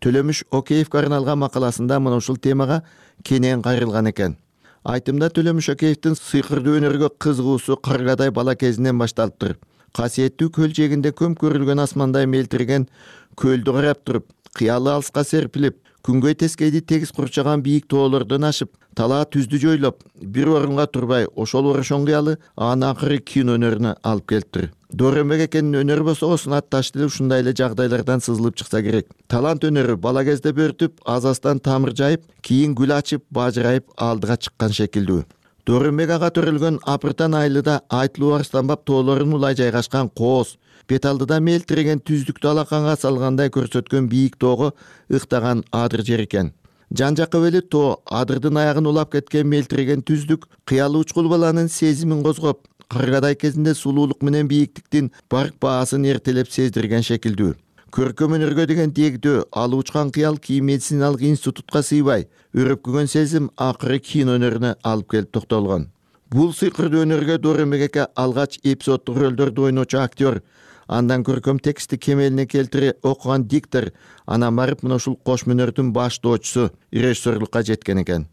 Төлөмүш Океевге арналган макаласында мына ушул темага кенен кайрылган экен. Айтымда Төлөмүш Океевдин сыйкырдуу өнөргө кызыгуусу каргадай бала кезинен башталыптыр. Касиеттүү көл жээгинде көм көрүлгөн асмандай мелтиреген көлдү карап туруп, кыялы алыска серпилип, күнгөй тескейди тегиз курчаган бийик тоолордон ашып, талаа түздү жойлоп, бир орунга турбай, ошол орошон кыялы аны акыры кино өнөрүнө алып келиптир. Дооронбек экенин өнөрү болсо сунатташ деле ушундай эле жагдайлардан сызылып чыкса керек. Талант өнөрү бала кезде бөртүп, азастан тамыр жайып, кийин гүл ачып, бажырайып алдыга чыккан шекилдүү. Дооронбек ага төрөлгөн Апыртан айылыда Айтылуу Арстанбап тоолорун улай жайгашкан кооз, бет алдыда мелтиреген түздүктү алаканга салгандай көрсөткөн бийик тоого ыктаган адыр жер экен. Жан жакка бели тоо, адырдын аягын улап кеткен мелтиреген түздүк кыялы учкул баланын сезимин козгоп, каргадай кезинде сулуулук менен бийиктиктин барк баасын эртелеп сездирген шекилдүү. Көркөм өнөргө деген дегдөө, алы учкан кыял кийин медициналык институтка сыйбай, өрөпкөгөн сезим акыры кино өнөрүнө алып келип токтолгон. Бул сыйкырдуу өнөргө Дооронбек аке алгач эпизоддук рөлдөрдү ойночу актер, андан көркөм текстти кемелине келтире окуган диктор, анан барып мына ушул кошмо өнөрдүн баштоочусу, режиссерлукка жеткен экен.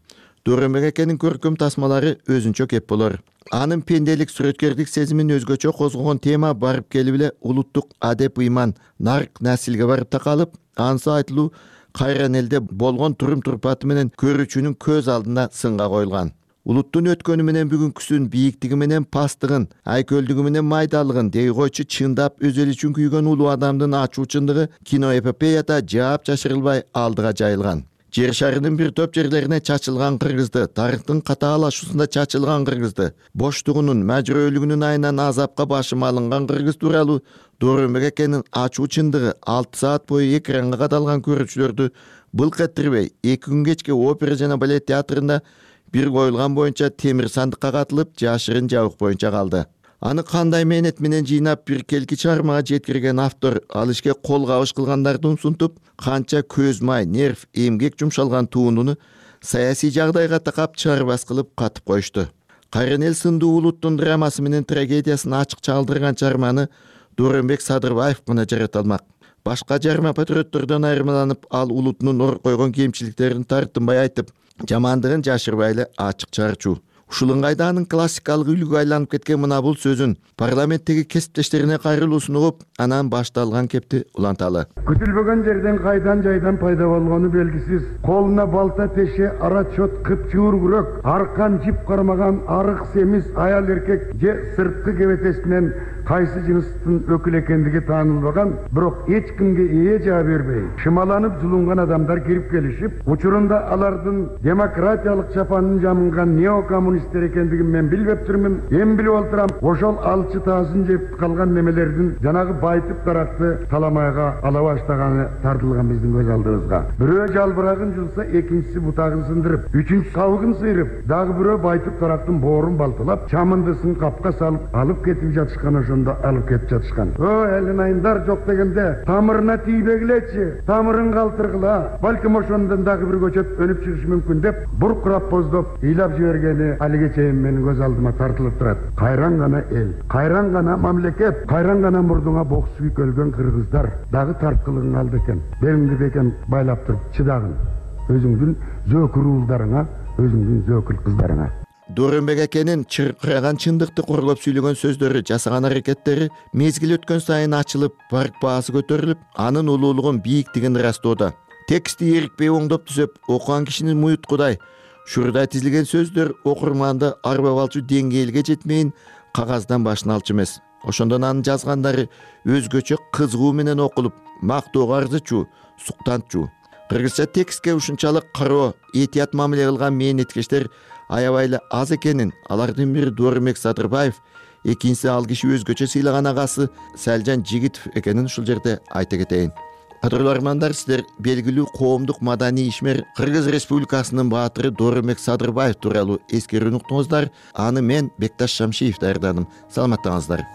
Дооронбек акенин көркөм тасмалары өзүнчө кеп болор. Анын пенделик, сүрөткерлик сезимин өзгөчө козгогон тема барып келип эле улуттук адеп ыйман, нарк насилге барып такалып, анысы айтылуу кайран элде болгон турум турпаты менен көрүүчүнүн көз алдына сынга коюлган. Улуттун өткөнү менен бүгүнкүсүн, бийиктиги менен пасттыгын, айкөлдүгү менен майдалыгын дей койчу чындап өз эли үчүн күйгөн улуу адамдын ачуу чындыгы киноэпопеяда жаап жашырылбай алдыга жайылган. Жер шарынын бир топ жерлерине чачылган кыргызды, тарыхтын катаалашуусунда чачылган кыргызды, боштугунун, мәжбүрөөлүгүнүн айынан азапка башым алынган кыргыз тууралуу Дооронбек акенин ачуу чындыгы алты саат бою экранга кадалган көрүүчүлөрдү былк эттирбей, эки күн кечки опера жана балет театрында бир коюлган боюнча темир сандыкка катылып, жашырын жабык боюнча калды. Аны кандай мээнет менен жыйнап бир келки чыгармага жеткирген автор ал ишке кол кабыш кылгандарды умсунтуп, канча көз май, нерв, эмгек жумшалган туунуну саясий жагдайга такап чарбас кылып катып коюшту. Кайран эл сындуу улуттун драмасы менен трагедиясын ачык чагдырган чыгарманы Дооронбек Садырбаев гана жарата алмак. Башка жарма патриоттордон айырмаланып, ал улутунун ор койгон кемчиликтерин тартынбай айтып, жамандыгын жашырбай эле ачык чыгарчу. Ушул ыңгайда анын классикалык үлгүгө айланып кеткен мына бул сөзүн парламенттеги кесиптештерине кайрылуусун угуп, анан башталган кепти уланталы. Күтүлбөгөн жерден кайдан жайдан пайда болгону белгисиз. Колуна балта теше, ара чот кыпчуур күрөк, аркан жип кармаган арык семиз аял эркек же сырткы кебетесинен кайсы жыныстын өкүл экендиги таанылбаган, бирок эч кимге ээ жаа бербей, шымаланып жулунган адамдар кирип келишип, учурунда алардын демократиялык чапанын жамынган неокоммунисттер экендигин мен билбеп турмун. Эми билип отурам, ошол алчы таасын жеп калган немелердин жанагы байтып даракты таламайга ала баштаганы тартылган биздин көз алдыбызга. Бирөө жалбырагын жулса, экинчиси бутагын сындырып, үчүнчүсү кабыгын сыйрып, дагы бирөө байтып дарактын боорун балтылап, чамындысын капка салып алып кетип жатышкан, ошондо алып кетип жатышкан. О, элин айындар жок дегенде тамырына тийбегилечи, тамырын калтыргыла. Балким ошондон дагы бир көчөт өнүп чыгышы мүмкүн деп, буркурап боздоп, ыйлап жибергени алиге чейин менин көз алдыма тартылып турат. Кайран гана эл, кайран гана мамлекет, кайран гана мурдуңа бок сүйүк өлгөн кыргыздар дагы тарткылыгың алды экен. Белиңди бекем байлап туруп чыдагын. Өзүңдүн зөөкүр уулдарыңа, өзүңдүн зөөкүл кыздарыңа. Дөрөнбек экенин чыркыраган чындыкты коргоп сүйлөгөн сөздөрү, жасаган аракеттери мезгил өткөн сайын ачылып, барк баасы көтөрүлүп, анын улуулугун, бийиктигин ырастоодо. Тексти эрикпей оңдоп түзөп, окуган кишинин муюткудай, шурдай тизилген сөздөр окурманды арбап алчу деңгээлге жетмейин кагаздан башын алчу эмес. Ошондон анын жазгандары өзгөчө кызыгуу менен окулуп, мактоого арзычу, суктантчу. Кыргызча текстке ушунчалык кароо, этият мамиле кылган мээнеткештер аябай эле аз экенин, алардын бири Дөрөнбек Садырбаев, экинчиси ал киши өзгөчө сыйлаган агасы Салжан Жигитов экенин ушул жерде айта кетейин. Кадырлуу армандар, сиздер белгилүү коомдук маданий ишмер Кыргыз Республикасынын баатыры Дөрөнбек Садырбаев тууралуу эскерүүнү уктуңуздар. Аны мен Бекташ Шамшиев даярдадым. Саламаттаңыздар.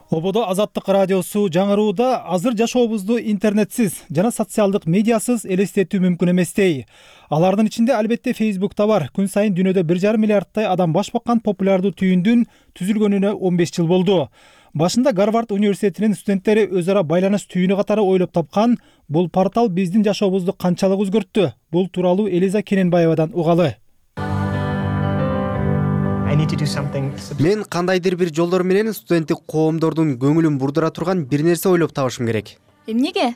Ободо Азаттык радиосу жаңырууда азыр жашообузду интернетсиз жана социалдык медиасыз элестетүү мүмкүн эместей. Алардын ичинде албетте Facebook'та бар. Күн сайын дүйнөдө бир жарым миллиардтай адам баш баккан популярдуу түйүндүн түзүлгөнүнө он беш жыл болду. Башында Гарвард университетинин студенттери өз ара байланыш түйүнү катары ойлоп тапкан бул портал биздин жашообузду канчалык өзгөрттү? Бул тууралуу Элиза Кененбаевадан угалы. Мен кандайдыр бир жолдор менен студенттик коомдордун көңүлүн бурдура турган бир нерсе ойлоп табышым керек. Эмнеге?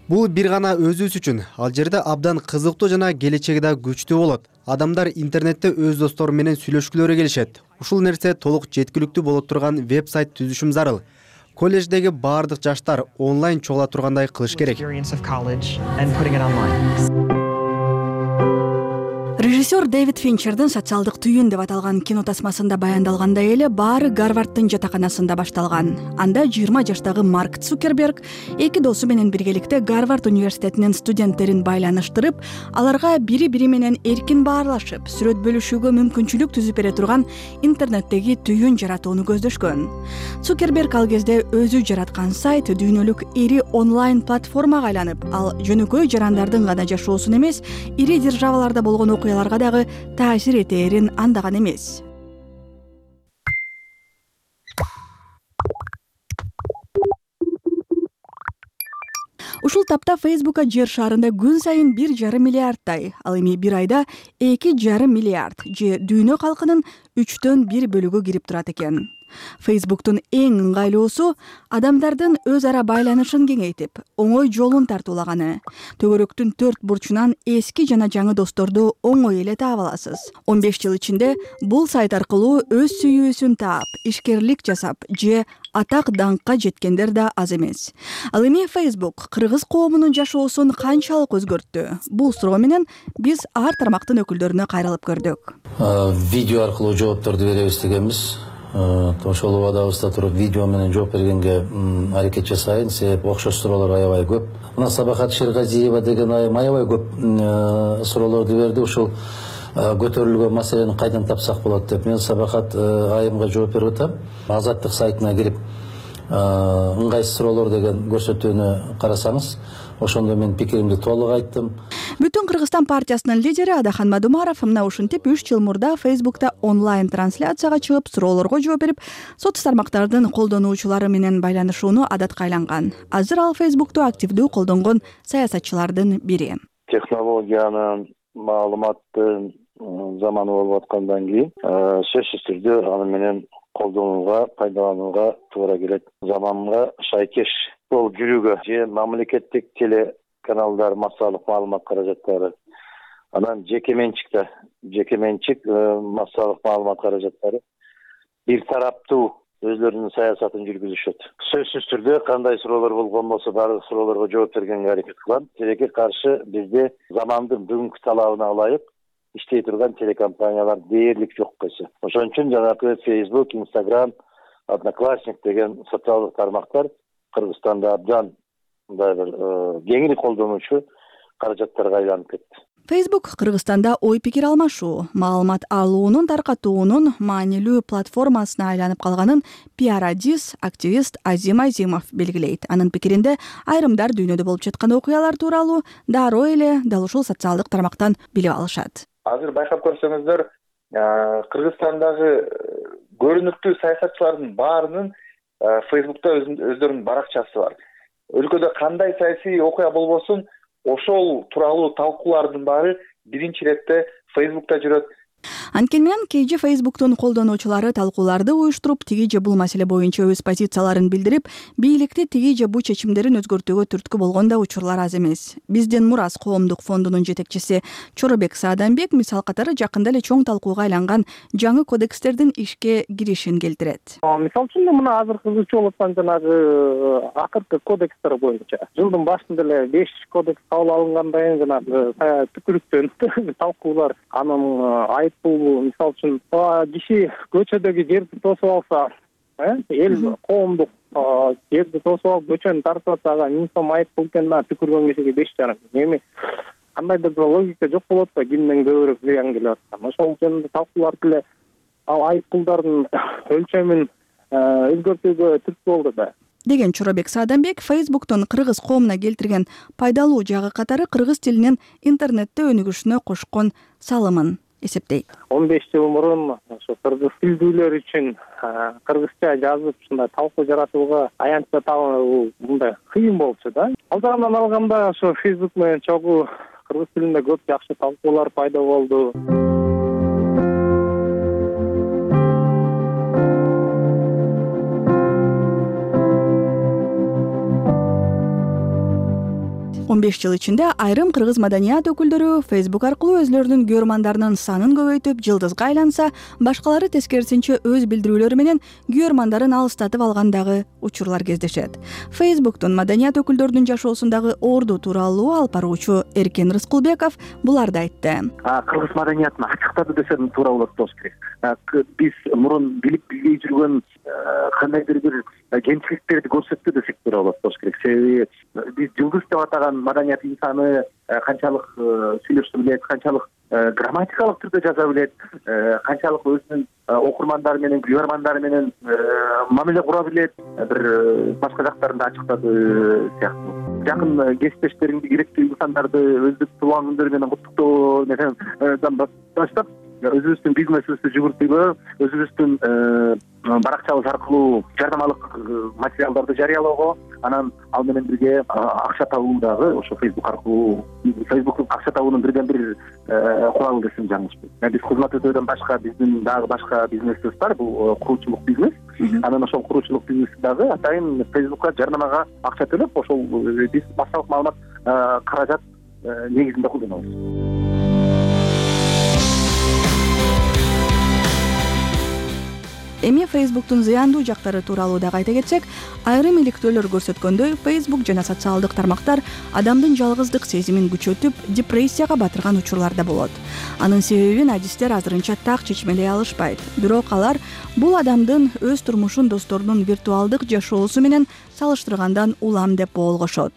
Бул бир гана өзүбүз үчүн. Ал жерде абдан кызыктуу жана келечеги да күчтүү болот. Адамдар интернетте өз достору менен сүйлөшкүлөрү келишет. Ушул нерсе толук жеткиликтүү боло турган веб-сайт түзүшүм зарыл. Колледждеги баардык жаштар онлайн чогула тургандай кылыш керек. Режиссер Дэвид Финчердин социалдык түйүн деп аталган кино тасмасында баяндалгандай эле баары Гарварддын жатаканасында башталган. Анда жыйырма жаштагы Марк Цукерберг эки досу менен биргеликте Гарвард университетинин студенттерин байланыштырып, аларга бири-бири менен эркин баарлашып, сүрөт бөлүшүүгө мүмкүнчүлүк түзүп бере турган интернеттеги түйүн жаратууну көздөшкөн. Цукерберг ал кезде өзү жараткан сайт дүйнөлүк ири онлайн платформага айланып, ал жөнөкөй жарандардын гана жашоосун эмес, ири державаларда болгон окуяларга дагы таасир этээрин андаган эмес. Ушул тапта Facebook'a жер шарында күн сайын бир жарым миллиардтай, ал эми бир айда эки жарым миллиард же дүйнө калкынын үчтөн бир бөлүгү кирип турат экен. Facebook'тун эң ыңгайлуусу адамдардын өз ара байланышын кеңейтип, оңой жолун тартуулаганы. Төгөрөктүн төрт бурчунан эски жана жаңы досторду оңой эле таап аласыз. он беш жыл ичинде бул сайт аркылуу өз сүйүүсүн таап, ишкерлик жасап же атак даңкка жеткендер да аз эмес. Ал эми Facebook кыргыз коомунун жашоосун канчалык өзгөрттү? Бул суроо менен биз ар тармактын өкүлдөрүнө кайрылып көрдүк. Видео аркылуу жоопторду беребиз дегенбиз. Ошол убадабызда туруп видео менен жооп бергенге аракет жасайын, себеп окшош суроолор аябай көп. Мына Сабахат Шергазиева деген айым аябай көп суроолорду берди. Ушул көтөрүлгөн маселени кайдан тапсак болот деп мен Сабахат айымга жооп берип атам. Азаттык сайтына кирип ыңгайсыз суроолор деген көрсөтүүнү карасаңыз, ошондо мен пикиримди толук айттым. Бүтүн Кыргызстан партиясынын лидери Адахан Мадумаров мына ушинтип үч жыл мурда Facebook'та онлайн трансляцияга чыгып, суроолорго жооп берип, соц тармактардын колдонуучулары менен байланышууну адатка айланган. Азыр ал Facebook'ту активдүү колдонгон саясатчылардын бири. Технологиянын, маалыматтын заманы болуп аткандан кийин сөзсүз түрдө аны менен колдонууга, пайдаланууга туура келет. Заманга шайкеш болуп жүрүүгө же мамлекеттик телеканалдар, массалык маалымат каражаттары, анан жеке менчикте, жеке менчик массалык маалымат каражаттары бир тараптуу өзлөрүнүн саясатын жүргүзүшөт. Сөзсүз түрдө кандай суроолор болгон болсо баардык суроолорго жооп бергенге аракет кылам. Тилекке каршы бизде замандын бүгүнкү талабына ылайык иштей турган телекомпаниялар дээрлик жок койсо. Ошон үчүн жанагы Facebook, Instagram, Одноклассник деген социалдык тармактар Кыргызстанда абдан мындай бир кеңири колдонуучу каражаттарга айланып кетти. Facebook Кыргызстанда ой пикир алмашуу, маалымат алуунун, таркатуунун маанилүү платформасына айланып калганын пиар-адис, активист Азим Азимов белгилейт. Анын пикиринде айрымдар дүйнөдө болуп жаткан окуялар тууралуу дароо эле дал ушул социалдык тармактан билип алышат. Азыр байкап көрсөңүздөр, Кыргызстандагы көрүнүктүү саясатчылардын баарынын Facebook'та өздөрүнүн баракчасы бар. Өлкөдө кандай саясий окуя болбосун, ошол тууралуу талкуулардын баары биринчи иретте Facebook'та жүрөт. Анткени менен кээ же Facebook'тун колдонуучулары талкууларды уюштуруп, тиги же бул маселе боюнча өз позицияларын билдирип, бийликти тиги же бул чечимдерин өзгөртүүгө түрткү болгон да учурлар аз эмес. Биздин Мурас коомдук фондунун жетекчиси Чоробек Саадамбек мисал катары жакында эле чоң талкууга айланган жаңы кодекстердин ишке киришин келтирет. Мисал үчүн мына азыр кызуучу болуп аткан жанагы акыркы кодекстер боюнча жылдын башында эле беш кодекс кабыл алынгандан кийин жанагы түкүрүктөн талкуулар анын бул мисал үчүн киши көчөдөгү жерди тосуп алса, эл коомдук жерди тосуп алып көчөнү тартып атса, ага миң сом айып бул экен, түкүргөн кишиге беш жарым. Эми кандайдыр бир логика жок болот да, кимден көбүрөөк зыян келип аткан. Ошол жөнүндө талкуулар деле ал айып пулдардын өлчөмүн өзгөртүүгө түрткү болду да. Деген Чоробек Саадамбек Facebook'тун кыргыз коомуна келтирген пайдалуу жагы катары кыргыз тилинин интернетте өнүгүшүнө кошкон салымын эсептейт. он беш жыл мурун ошо кыргыз тилдүүлөр үчүн кыргызча жазып ушундай талкуу жаратууга аянтча табуу мындай кыйын болчу да. Ал жагынан алганда ошо Facebook менен чогуу кыргыз тилинде көп жакшы талкуулар пайда болду. он беш жыл ичинде айрым кыргыз маданият өкүлдөрү Facebook аркылуу өзлөрүнүн көрмандарынын санын көбөйтүп, жылдызга айланса, башкалары тескерисинче өз билдирүүлөрү менен көрмандарын алыстатып алгандагы учурлар кездешет. Facebook'тун маданият өкүлдөрүнүн жашоосундагы орду тууралуу алып баруучу Эркен Рыскулбеков буларды айтты. Кыргыз маданиятын ачыктады десем туура болот болуш керек. Биз мурун билип билбей жүргөн кандайдыр бир кемчиликтерди көрсөттү десек туура болот болуш керек. Себеби биз жылдыз деп атаган маданият инсаны канчалык сүйлөшө билет, канчалык грамматикалык түрдө жаза билет, канчалык өзүнүн окурмандары менен, көрөрмандары менен мамиле кура билет, бир башка жактарында ачыктады сыяктуу. Жакын кесиптештериңди, керектүү инсандарды өздүк туулган күндөрү менен куттуктоо менен баштап, өзүбүздүн бизнесибизди жүгүртүүгө, өзүбүздүн баракчабыз аркылуу жардамалык материалдарды жарыялоого, анан ал менен бирге акча табуу дагы ошо Facebook аркылуу, Facebook акча табуунун бирден бир куралы десем жаңылышпайт. Биз кызмат өтөөдөн башка биздин дагы башка бизнесибиз бар, бул куруучулук бизнес. Анан ошол куруучулук бизнеси дагы атайын Facebook'ка жарнамага акча төлөп, ошол биз массалык маалымат каражат негизинде колдонобуз. Эми Facebook'тун зыяндуу жактары тууралуу дагы айта кетсек, айрым иликтөөлөр көрсөткөндөй, Facebook жана социалдык тармактар адамдын жалгыздык сезимин күчөтүп, депрессияга батырган учурлар да болот. Анын себебин адистер азырынча так чечмелей алышпайт. Бирок алар бул адамдын өз турмушун досторунун виртуалдык жашоосу менен салыштыргандан улам деп болгошот.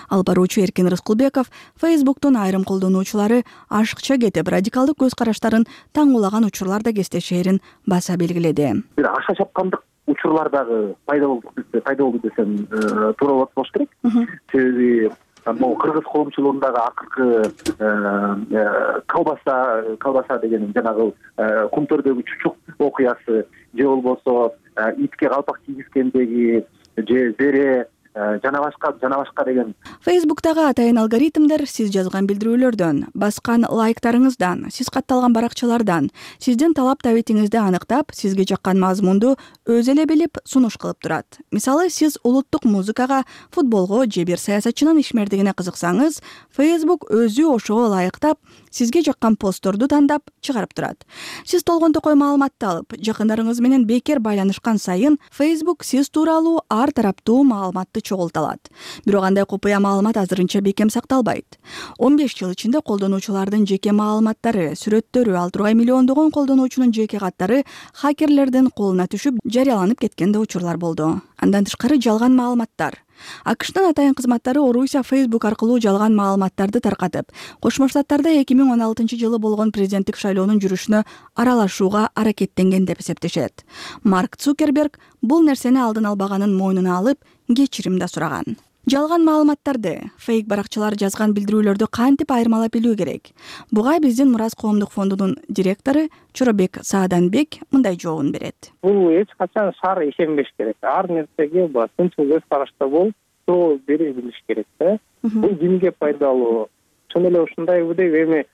Алып баруучу Эркен Рыскулбеков Facebook'тун айрым колдонуучулары ашыкча кетип, радикалдык көз караштарын таңуулаган учурлар да кездешээрин баса белгиледи. Бир аша чапкандык учурлар дагы пайда болду, пайда болду десем туура болот болуш керек. Себеби могу кыргыз коомчулугундагы акыркы колбаса, колбаса деген жанагы кумтөрдөгү чучук окуясы, же болбосо итке калпак кийгизгендеги, же зере, жана башка жана башка деген. Фейсбуктагы атайын алгоритмдер сиз жазган билдирүүлөрдөн, баскан лайктарыңыздан, сиз катталган баракчалардан, сиздин талап табитиңизди аныктап, сизге жаккан мазмунду өзү эле билип сунуш кылып турат. Мисалы, сиз улуттук музыкага, футболго же бир саясатчынын ишмердигине кызыксаңыз, Facebook өзү ошого ылайыктап, сизге жаккан постторду тандап чыгарып турат. Сиз толгон токой маалыматты алып, жакындарыңыз менен бекер байланышкан сайын Facebook сиз тууралуу ар тараптуу маалыматты чогулта алат. Бирок андай купуя маалымат азырынча бекем сакталбайт. он беш жыл ичинде колдонуучулардын жеке маалыматтары, сүрөттөрү, ал тургай миллиондогон колдонуучунун жеке каттары хакерлердин колуна түшүп, жарыяланып кеткен да учурлар болду. Андан тышкары жалган маалыматтар. АКШтын атайын кызматтары Орусия Facebook аркылуу жалган маалыматтарды таркатып, Кошмо Штаттарда эки миң он алтынчы жылы болгон президенттик шайлоонун жүрүшүнө аралашууга аракеттенген деп эсептешет. Марк Цукерберг бул нерсени алдын албаганын мойнуна алып, кечирим да сураган. Жалган маалыматтарды, фейк баракчалар жазган билдирүүлөрдү кантип айырмалап билүү керек? Буга биздин Мурас коомдук фондунун директору Чоробек Сааданбек мындай жообун берет. Бул эч качан шаар ишенбеш керек. Ар нерсеге тынчыл көз карашта болуп, жооп бере билиш керек да. Бул кимге пайдалуу? Чын эле ушундай деп эми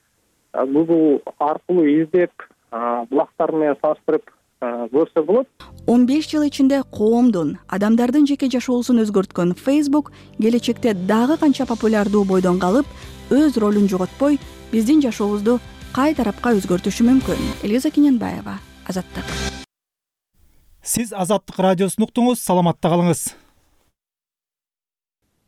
Google аркылуу издеп, булактар менен салыштырып көрсө болот. он беш жыл ичинде коомдун, адамдардын жеке жашоосун өзгөрткөн Facebook келечекте дагы канча популярдуу бойдон калып, өз ролун жоготпой, биздин жашообузду кай тарапка өзгөртүшү мүмкүн. Элиза Кененбаева, Азаттык. Сиз Азаттык радиосун уктуңуз, саламатта калыңыз.